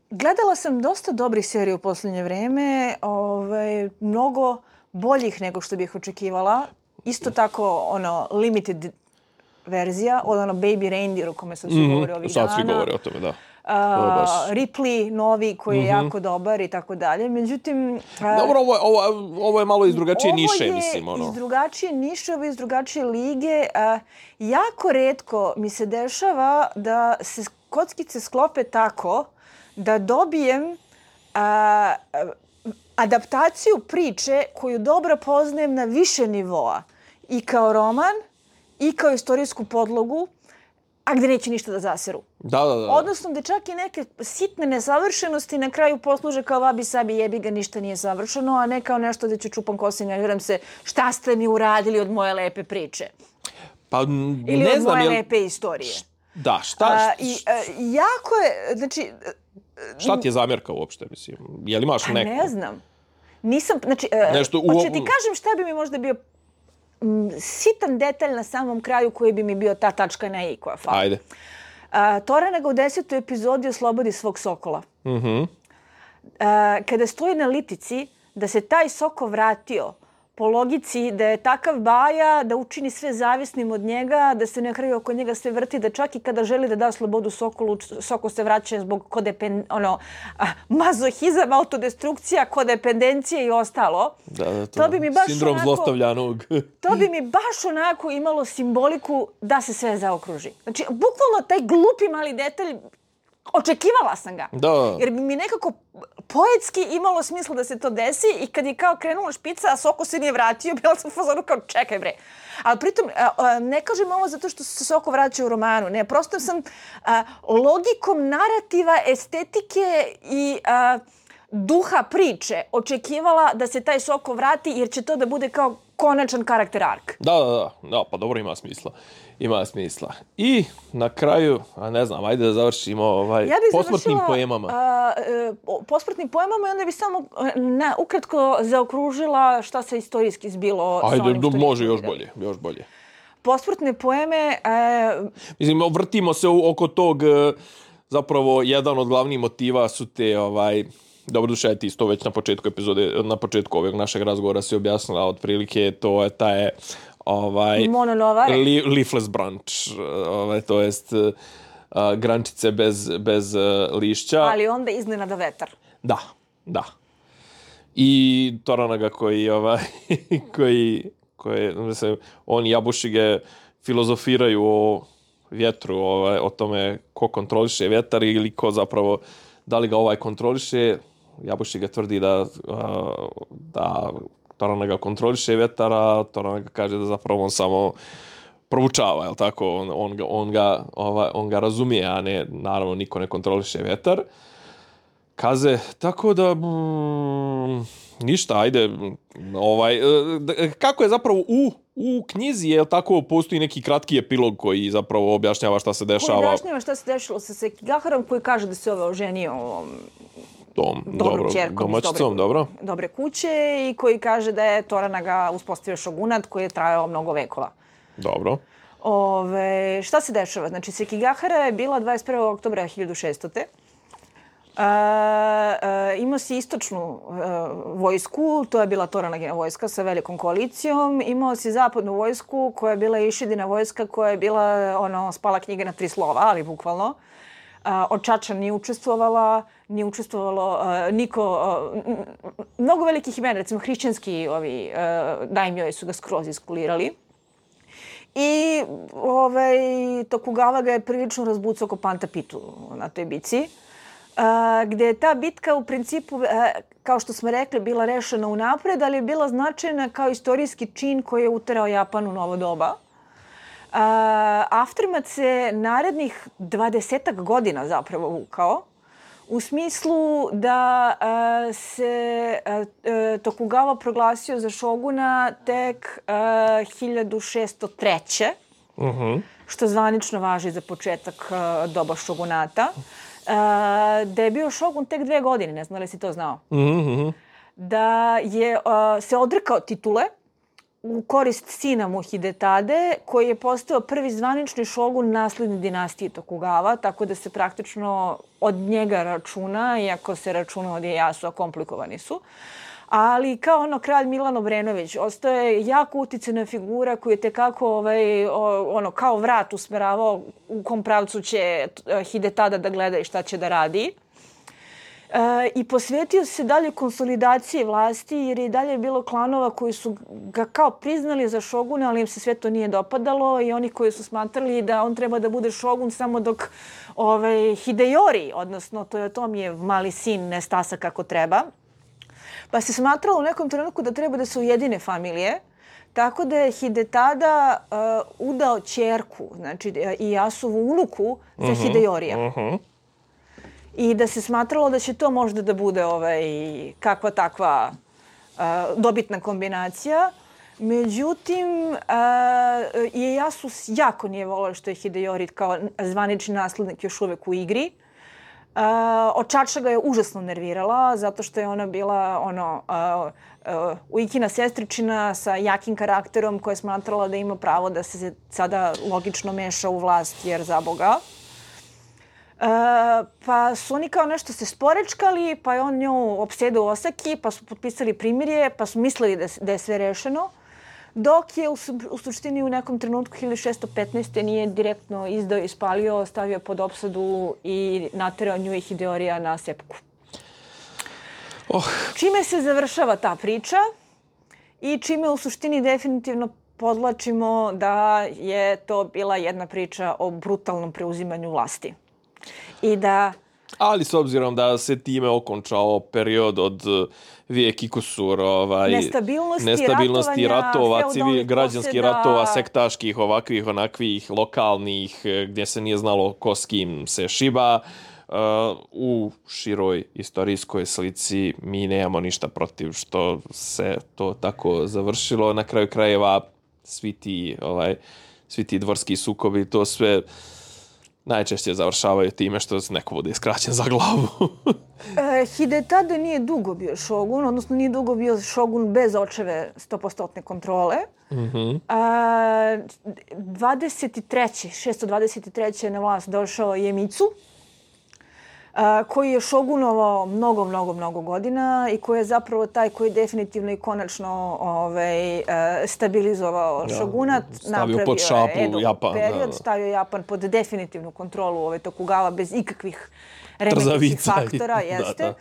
[SPEAKER 2] gledala sam dosta dobrih serija u posljednje vreme, ovaj, mnogo boljih nego što bih očekivala. Isto tako, ono, limited verzija, od ono Baby Reindeer o kome sam se
[SPEAKER 1] mm-hmm.
[SPEAKER 2] govorio ovih
[SPEAKER 1] sad
[SPEAKER 2] dana.
[SPEAKER 1] Sad svi govore o tome, da.
[SPEAKER 2] Uh, Ripley, novi, koji je mm-hmm. jako dobar i tako dalje. Međutim... Uh,
[SPEAKER 1] dobro, ovo, ovo, ovo je malo iz drugačije niše, mislim.
[SPEAKER 2] Ovo
[SPEAKER 1] ono.
[SPEAKER 2] je iz drugačije niše, ovo je iz drugačije lige. Uh, jako retko mi se dešava da se kockice sklope tako da dobijem uh, adaptaciju priče koju dobro poznajem na više nivoa. I kao roman, i kao istorijsku podlogu, a gdje neće ništa da zaseru.
[SPEAKER 1] Da, da, da.
[SPEAKER 2] Odnosno, gdje čak i neke sitne nesavršenosti na kraju posluže kao vabi sabi jebi ga, ništa nije savršeno, a ne kao nešto gdje ću čupam kosinja i gledam se šta ste mi uradili od moje lepe priče.
[SPEAKER 1] Pa,
[SPEAKER 2] ili
[SPEAKER 1] ne
[SPEAKER 2] od
[SPEAKER 1] znam,
[SPEAKER 2] moje
[SPEAKER 1] jel...
[SPEAKER 2] lepe istorije.
[SPEAKER 1] Da, šta?
[SPEAKER 2] A, i, a, jako je, znači...
[SPEAKER 1] Šta ti je zamjerka uopšte, mislim? Je li imaš neku?
[SPEAKER 2] Ne znam. Nisam, znači,
[SPEAKER 1] Nešto u...
[SPEAKER 2] hoće ti kažem šta bi mi možda bio m, sitan detalj na samom kraju koji bi mi bio ta tačka na i koja fali.
[SPEAKER 1] Ajde.
[SPEAKER 2] Toranaga u desetoj epizodi oslobodi svog sokola.
[SPEAKER 1] Mhm.
[SPEAKER 2] A, kada stoji na litici da se taj soko vratio po logici da je takav baja, da učini sve zavisnim od njega, da se na kraju oko njega sve vrti, da čak i kada želi da da slobodu Sokolu, Sokol se vraća zbog kodepend, ono, mazohizam, autodestrukcija, kodependencije i ostalo.
[SPEAKER 1] Da, da, to,
[SPEAKER 2] to bi mi baš
[SPEAKER 1] sindrom
[SPEAKER 2] onako,
[SPEAKER 1] zlostavljanog.
[SPEAKER 2] To bi mi baš onako imalo simboliku da se sve zaokruži. Znači, bukvalno taj glupi mali detalj, očekivala sam ga.
[SPEAKER 1] Da.
[SPEAKER 2] Jer bi mi nekako poetski imalo smisla da se to desi i kad je kao krenula špica, a Soko se nije vratio, bila sam u fazonu kao čekaj bre. Ali pritom, ne kažem ovo zato što se Soko vraća u romanu. Ne, prosto sam a, logikom narativa, estetike i a, duha priče očekivala da se taj Soko vrati jer će to da bude kao konačan karakter ark.
[SPEAKER 1] Da, da, da, da, pa dobro, ima smisla. Ima smisla. I na kraju, a ne znam, ajde da završimo ovaj,
[SPEAKER 2] ja
[SPEAKER 1] posmrtnim poemama.
[SPEAKER 2] Ja bih završila posmrtnim poemama i onda bih samo na, ukratko zaokružila šta se istorijski zbilo
[SPEAKER 1] ajde,
[SPEAKER 2] sa onim što
[SPEAKER 1] može još bolje, još bolje.
[SPEAKER 2] Posmrtne poeme... E...
[SPEAKER 1] Mislim, vrtimo se oko tog, zapravo, jedan od glavnih motiva su te, ovaj, dobro duše, ti isto već na početku epizode, na početku ovog našeg razgovora si objasnila, otprilike to je taj ovaj li, leafless branch, ovaj, to jest uh, grančice bez, bez uh, lišća.
[SPEAKER 2] Ali onda iznenada vetar.
[SPEAKER 1] Da, da. I Toranaga koji, ovaj, koji, koji mislim, on i Jabušige filozofiraju o vjetru, ovaj, o tome ko kontroliše vjetar ili ko zapravo, da li ga ovaj kontroliše. Jabušiga tvrdi da, uh, da Toranaga kontroliše vjetara, Toranaga kaže da zapravo on samo proučava, jel tako? On, on, ga, on, ga, ovaj, on ga razumije, a ne, naravno, niko ne kontroliše vjetar. Kaze, tako da, mm, ništa, ajde, ovaj, kako je zapravo u, u knjizi, jel tako, postoji neki kratki epilog koji zapravo objašnjava šta se dešava.
[SPEAKER 2] Koji objašnjava šta se dešalo sa Sekigaharom, koji kaže da se ove oženio
[SPEAKER 1] Dom, dobro, domaćicom, dobro.
[SPEAKER 2] dobre kuće i koji kaže da je Toranaga uspostavio šogunat koji je trajao mnogo vekova.
[SPEAKER 1] Dobro.
[SPEAKER 2] Ove, šta se dešava? Znači, Sekigahara je bila dvadeset prvog oktobra hiljadu šeststote. Uh, uh, imao si istočnu uh, vojsku, to je bila Toranagina vojska sa velikom koalicijom. Imao si zapadnu vojsku koja je bila Išidina vojska koja je bila ono, spala knjiga na tri slova, ali bukvalno. Uh, Očača nije učestvovala, nije učestvovalo uh, niko, uh, mnogo velikih imena, recimo hrišćanski ovi uh, daimjoji su ga skroz iskulirali. I ovaj, Tokugawa ga je prilično razbucao ko Panta Pitu na toj bici. Uh, gdje je ta bitka u principu, uh, kao što smo rekli, bila rešena unapred, ali je bila značajna kao istorijski čin koji je uterao Japan u novo doba. Uh, Aftermath se narednih dvadesetak godina zapravo vukao, u smislu da uh, se uh, Tokugawa proglasio za šoguna tek uh, hiljadu šeststo treće.
[SPEAKER 1] Uh-huh.
[SPEAKER 2] Što zvanično važi za početak uh, doba šogunata. Uh, da je bio šogun tek dve godine, ne znam li si to znao.
[SPEAKER 1] Mm-hmm.
[SPEAKER 2] Da je uh, se odrekao titule u korist sina mu Hidetade, koji je postao prvi zvanični šogun nasledne dinastije Tokugawa, tako da se praktično od njega računa, iako se računa od Ieyasua, komplikovani su. Ali kao ono kralj Milan Obrenović, ostaje jako uticajna figura koji je tekako ovaj, ono, kao vrat usmeravao u kom pravcu će Hidetada da gleda i šta će da radi. E, I posvetio se dalje konsolidaciji vlasti jer je dalje bilo klanova koji su ga kao priznali za šoguna, ali im se sve to nije dopadalo i oni koji su smatrali da on treba da bude šogun samo dok ovaj, Hideyori, odnosno Toyotomijev mali sin, ne stasa kako treba. Pa se smatralo u nekom trenutku da treba da se ujedine familije, tako da je Hidetada uh, udao ćerku, znači Ieyasuvu unuku za uh-huh, Hideyorija.
[SPEAKER 1] Uh-huh.
[SPEAKER 2] I da se smatralo da će to možda da bude ovaj, kakva takva uh, dobitna kombinacija. Međutim, uh, Ieyasu jako nije volio što je Hideyori kao zvanični naslednik još uvek u igri. Uh, Očača ga je užasno nervirala zato što je ona bila ono uh, uh, Uikina sestričina sa jakim karakterom koja je smatrala da ima pravo da se sada logično meša u vlast jer za Boga. pa su oni kao nešto se sporečkali, pa je on nju opsedao u Osaki, pa su potpisali primirje, pa su mislili da, da je sve rešeno. Dok je u, u suštini u nekom trenutku hiljadu šessto petnaeste. nije direktno izdao i spalio, stavio pod opsadu i naterao nju i Hideorija na sepku.
[SPEAKER 1] Oh.
[SPEAKER 2] Čime se završava ta priča i čime u suštini definitivno podlačimo da je to bila jedna priča o brutalnom preuzimanju vlasti. I da...
[SPEAKER 1] Ali s obzirom da se time okončao period od vijek i kusur, ovaj,
[SPEAKER 2] nestabilnosti,
[SPEAKER 1] nestabilnosti ratova, civil, građanskih
[SPEAKER 2] posjeda...
[SPEAKER 1] ratova, sektaških, ovakvih, onakvih, lokalnih, gdje se nije znalo ko s kim se šiba, uh, u široj istorijskoj slici mi nemamo ništa protiv što se to tako završilo. Na kraju krajeva svi ti, ovaj, svi ti dvorski sukobi, to sve najčešće završavaju time što neko bude iskraćen za glavu.
[SPEAKER 2] e, Hidetada nije dugo bio šogun, odnosno nije dugo bio šogun bez očeve sto posto kontrole.
[SPEAKER 1] Mm-hmm.
[SPEAKER 2] A, dvadeset treće šesto dvadeset treće na vlast došao Iemitsu, a, koji je šogunovao mnogo, mnogo, mnogo godina i koji je zapravo taj koji je definitivno i konačno ovaj, stabilizovao ja, šogunat.
[SPEAKER 1] Stavio pod šapu
[SPEAKER 2] Edo
[SPEAKER 1] Japan.
[SPEAKER 2] Period,
[SPEAKER 1] da, da.
[SPEAKER 2] stavio Japan pod definitivnu kontrolu ove Tokugawa bez ikakvih remetnih faktora. Jeste. Da,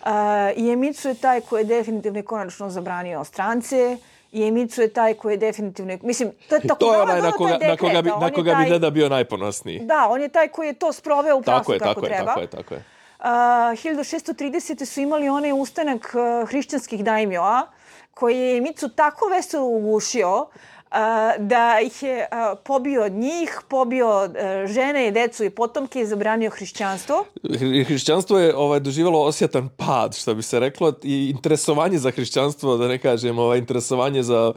[SPEAKER 2] da. Uh, Iemitsu je taj koji je definitivno i konačno zabranio strance. Iemitsu je taj koji je definitivno... Mislim, to je Tokugawa,
[SPEAKER 1] to je onaj na koga,
[SPEAKER 2] dekret,
[SPEAKER 1] na koga, bi, na koga
[SPEAKER 2] taj,
[SPEAKER 1] bi Deda bio najponosniji.
[SPEAKER 2] Da, on je taj koji je to sproveo u praksu kako
[SPEAKER 1] tako
[SPEAKER 2] treba.
[SPEAKER 1] Tako je, tako je.
[SPEAKER 2] Uh, hiljadu šesto tridesete. su imali onaj ustanak uh, hrišćanskih daimjoa koji je Iemitsu tako veselo ugušio uh, da ih je uh, pobio njih, pobio uh, žene i decu i potomke i zabranio hrišćanstvo.
[SPEAKER 1] Hrišćanstvo je ovaj, doživjelo osjetan pad, što bi se reklo, i interesovanje za hrišćanstvo, da ne kažem, ovaj, interesovanje za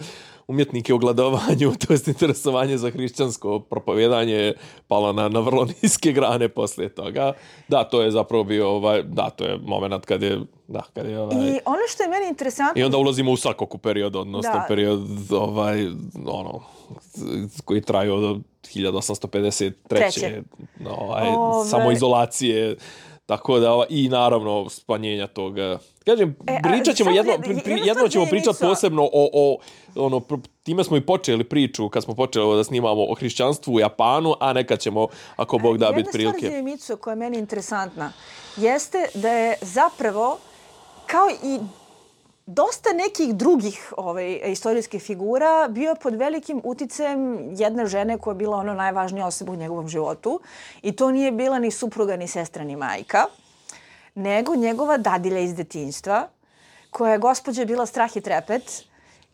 [SPEAKER 1] umjetnike u gladovanju, to jest interesovanje za hrišćansko propovjedanje je palo na, na vrlo niske grane poslije toga. Da, to je zapravo bio, ovaj, da, to je moment kad je, da, kad je, ovaj...
[SPEAKER 2] I ono što je meni interesantno...
[SPEAKER 1] I onda ulazimo u Sakoku period, odnosno da. period, ovaj, ono, koji traju od hiljadu osamsto pedeset treće. Ovaj, Ove... samoizolacije, tako da, ovaj, i naravno spanjenja toga. Kažem, e, pričat ćemo jedno, pri, pri, jedno ćemo pričati posebno o, o, ono, time smo i počeli priču kad smo počeli da snimamo o hrišćanstvu u Japanu, a nekad ćemo, ako Bog da, biti prilike.
[SPEAKER 2] Jedna stvar za Iemitsu koja je meni interesantna jeste da je zapravo, kao i dosta nekih drugih ovaj, istorijskih figura, bio pod velikim uticajem jedne žene koja je bila ono najvažnija osoba u njegovom životu. I to nije bila ni supruga, ni sestra, ni majka, nego njegova dadilja iz detinjstva, koja je gospođa bila strah i trepet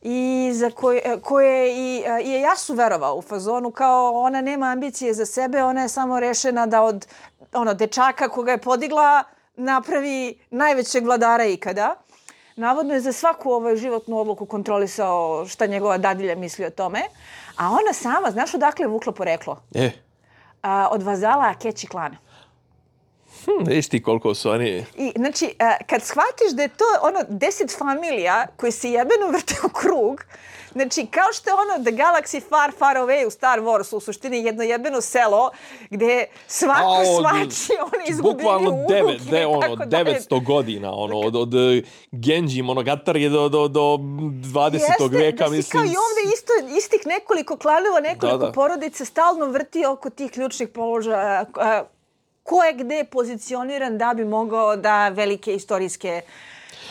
[SPEAKER 2] i za koje, koje i, i je Yasu verovao u fazonu kao ona nema ambicije za sebe, ona je samo rešena da od ono, dečaka koga je podigla napravi najvećeg vladara ikada. Navodno je za svaku ovaj životnu odluku kontrolisao šta njegova dadilja misli o tome. A ona sama, znaš odakle je vukla poreklo?
[SPEAKER 1] E.
[SPEAKER 2] A, od vazala Akechi klana.
[SPEAKER 1] Hm, viš ti koliko su oni...
[SPEAKER 2] I, znači, a, kad shvatiš da je to ono deset familija koji se jebeno vrte u krug, znači, kao što je ono The Galaxy Far, Far Away u Star Warsu, u suštini jedno jebeno selo gdje svako A, svači, oni izgubili unuke.
[SPEAKER 1] Bukvalno de, ono, devetsto godina, ono, od, od Genji Monogatari do, do, do dvadesetog vijeka,
[SPEAKER 2] mislim. Jeste, da si kao i ovdje isto, istih nekoliko klanova, nekoliko da, da. porodica stalno vrti oko tih ključnih položaja, ko je gde pozicioniran da bi mogao da velike istorijske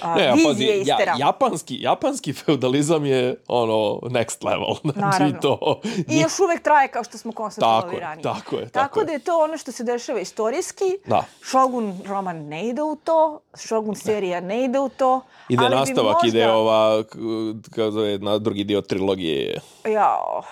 [SPEAKER 2] uh, ne, vizije
[SPEAKER 1] pazi, ja, japanski, japanski feudalizam je ono next level. Znači, to...
[SPEAKER 2] I još uvek traje kao što smo konstatovali ranije.
[SPEAKER 1] Tako je, tako,
[SPEAKER 2] tako
[SPEAKER 1] je.
[SPEAKER 2] da je to ono što se dešava istorijski.
[SPEAKER 1] Da.
[SPEAKER 2] Shogun roman ne ide u to, Shogun serija ne ide u to.
[SPEAKER 1] Ide
[SPEAKER 2] ali
[SPEAKER 1] nastavak,
[SPEAKER 2] možda...
[SPEAKER 1] ide ova, kao zove, na drugi dio trilogije.
[SPEAKER 2] Jao...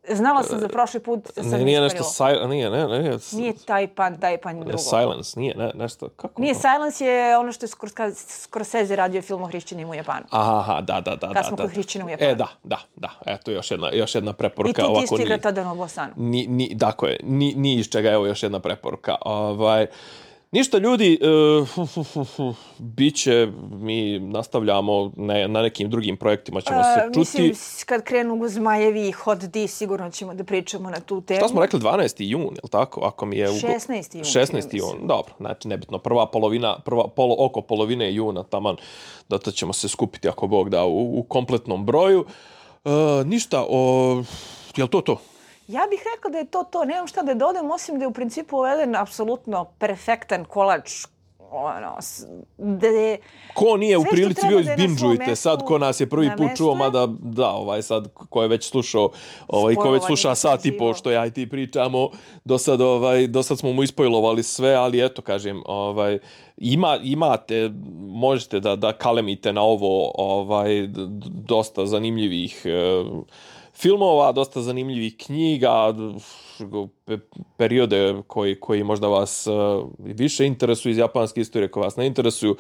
[SPEAKER 2] Znala sam za prošli put, sad
[SPEAKER 1] ne, nije nešto si, nije, ne, ne, ne.
[SPEAKER 2] Nije Taipan, Taipan drugo.
[SPEAKER 1] Silence, nije, ne, nešto, kako?
[SPEAKER 2] Nije, Silence je ono što je Scorsese radio film o hrišćanima u Japanu.
[SPEAKER 1] Aha, da, da, da.
[SPEAKER 2] Kad smo
[SPEAKER 1] da,
[SPEAKER 2] kod hrišćana u Japanu.
[SPEAKER 1] E, da, da, da. Eto, još jedna, još jedna preporuka.
[SPEAKER 2] I tu ti stigra tada na Bosanu.
[SPEAKER 1] Ni, ni, dakle, ni, ni iz čega, evo još jedna preporuka. Ovaj, Ništa ljudi, uh, bit će, mi nastavljamo ne, na nekim drugim projektima, ćemo se
[SPEAKER 2] Uh,
[SPEAKER 1] čuti.
[SPEAKER 2] mislim, kad krenu zmajevi i Hot D, sigurno ćemo da pričamo na tu temu.
[SPEAKER 1] Šta smo rekli, dvanaesti jun, je li tako? Ako mi je u...
[SPEAKER 2] šesnaesti jun.
[SPEAKER 1] šesnaesti jun, dobro, znači nebitno, prva polovina, prva, polo, oko polovine juna, taman, da to ćemo se skupiti, ako Bog da, u, u kompletnom broju. Uh, ništa, o, je li to to?
[SPEAKER 2] Ja bih rekla da je to to. Nemam šta da dodam, osim da je u principu ovo jedan apsolutno perfektan kolač. Ono, da je...
[SPEAKER 1] Ko nije u
[SPEAKER 2] sve što
[SPEAKER 1] prilici
[SPEAKER 2] treba
[SPEAKER 1] bio
[SPEAKER 2] da je na svom
[SPEAKER 1] izbinđujte
[SPEAKER 2] mestu,
[SPEAKER 1] sad, ko nas je prvi
[SPEAKER 2] na
[SPEAKER 1] put
[SPEAKER 2] mestu
[SPEAKER 1] čuo,
[SPEAKER 2] je.
[SPEAKER 1] mada da, ovaj sad, ko je već slušao, ovaj, ko već
[SPEAKER 2] Spojlovanje
[SPEAKER 1] sluša sat i po
[SPEAKER 2] uživo.
[SPEAKER 1] što ja i ti pričamo, do sad, ovaj, do sad smo mu ispojlovali sve, ali eto, kažem, ovaj, ima, imate, možete da, da kalemite na ovo ovaj, d- d- dosta zanimljivih e, filmova, dosta zanimljivih knjiga, pe- periode koji, koji možda vas uh, više interesuju iz japanske istorije, koji vas ne interesuju.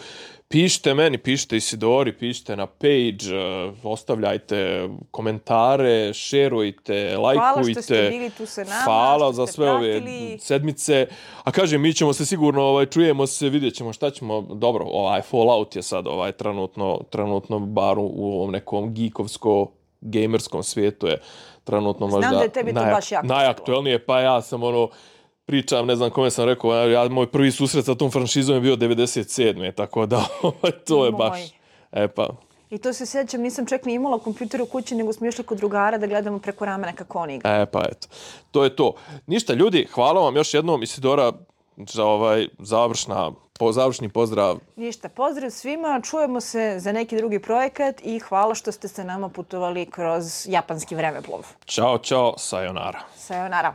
[SPEAKER 1] Pišite meni, pišite Isidori, pišite na page, uh, ostavljajte komentare, šerujte, lajkujte.
[SPEAKER 2] Hvala što ste bili tu sa nama,
[SPEAKER 1] Hvala
[SPEAKER 2] što
[SPEAKER 1] za
[SPEAKER 2] ste
[SPEAKER 1] sve
[SPEAKER 2] pratili.
[SPEAKER 1] ove sedmice. A kažem, mi ćemo se sigurno, ovaj, čujemo se, vidjet ćemo šta ćemo. Dobro, ovaj Fallout je sad ovaj, trenutno, trenutno bar u ovom nekom geekovsko gamerskom svijetu je trenutno
[SPEAKER 2] Znam
[SPEAKER 1] možda
[SPEAKER 2] da je tebi to
[SPEAKER 1] najak-
[SPEAKER 2] baš jako
[SPEAKER 1] najaktuelnije, pa ja sam ono, pričam, ne znam kome sam rekao, ja, moj prvi susret sa tom franšizom je bio devedeset sedme tako da to je
[SPEAKER 2] Moj.
[SPEAKER 1] baš, e pa,
[SPEAKER 2] I to se sjećam, nisam čak ni imala kompjuter u kući, nego smo išli kod drugara da gledamo preko ramena kako on igra.
[SPEAKER 1] e pa eto, to je to. Ništa ljudi, hvala vam još jednom, Isidora, za ovaj završna, po, završni pozdrav.
[SPEAKER 2] Ništa, pozdrav svima, čujemo se za neki drugi projekat i hvala što ste sa nama putovali kroz japanski vremeplov.
[SPEAKER 1] Ćao, ćao, sayonara.
[SPEAKER 2] Sayonara.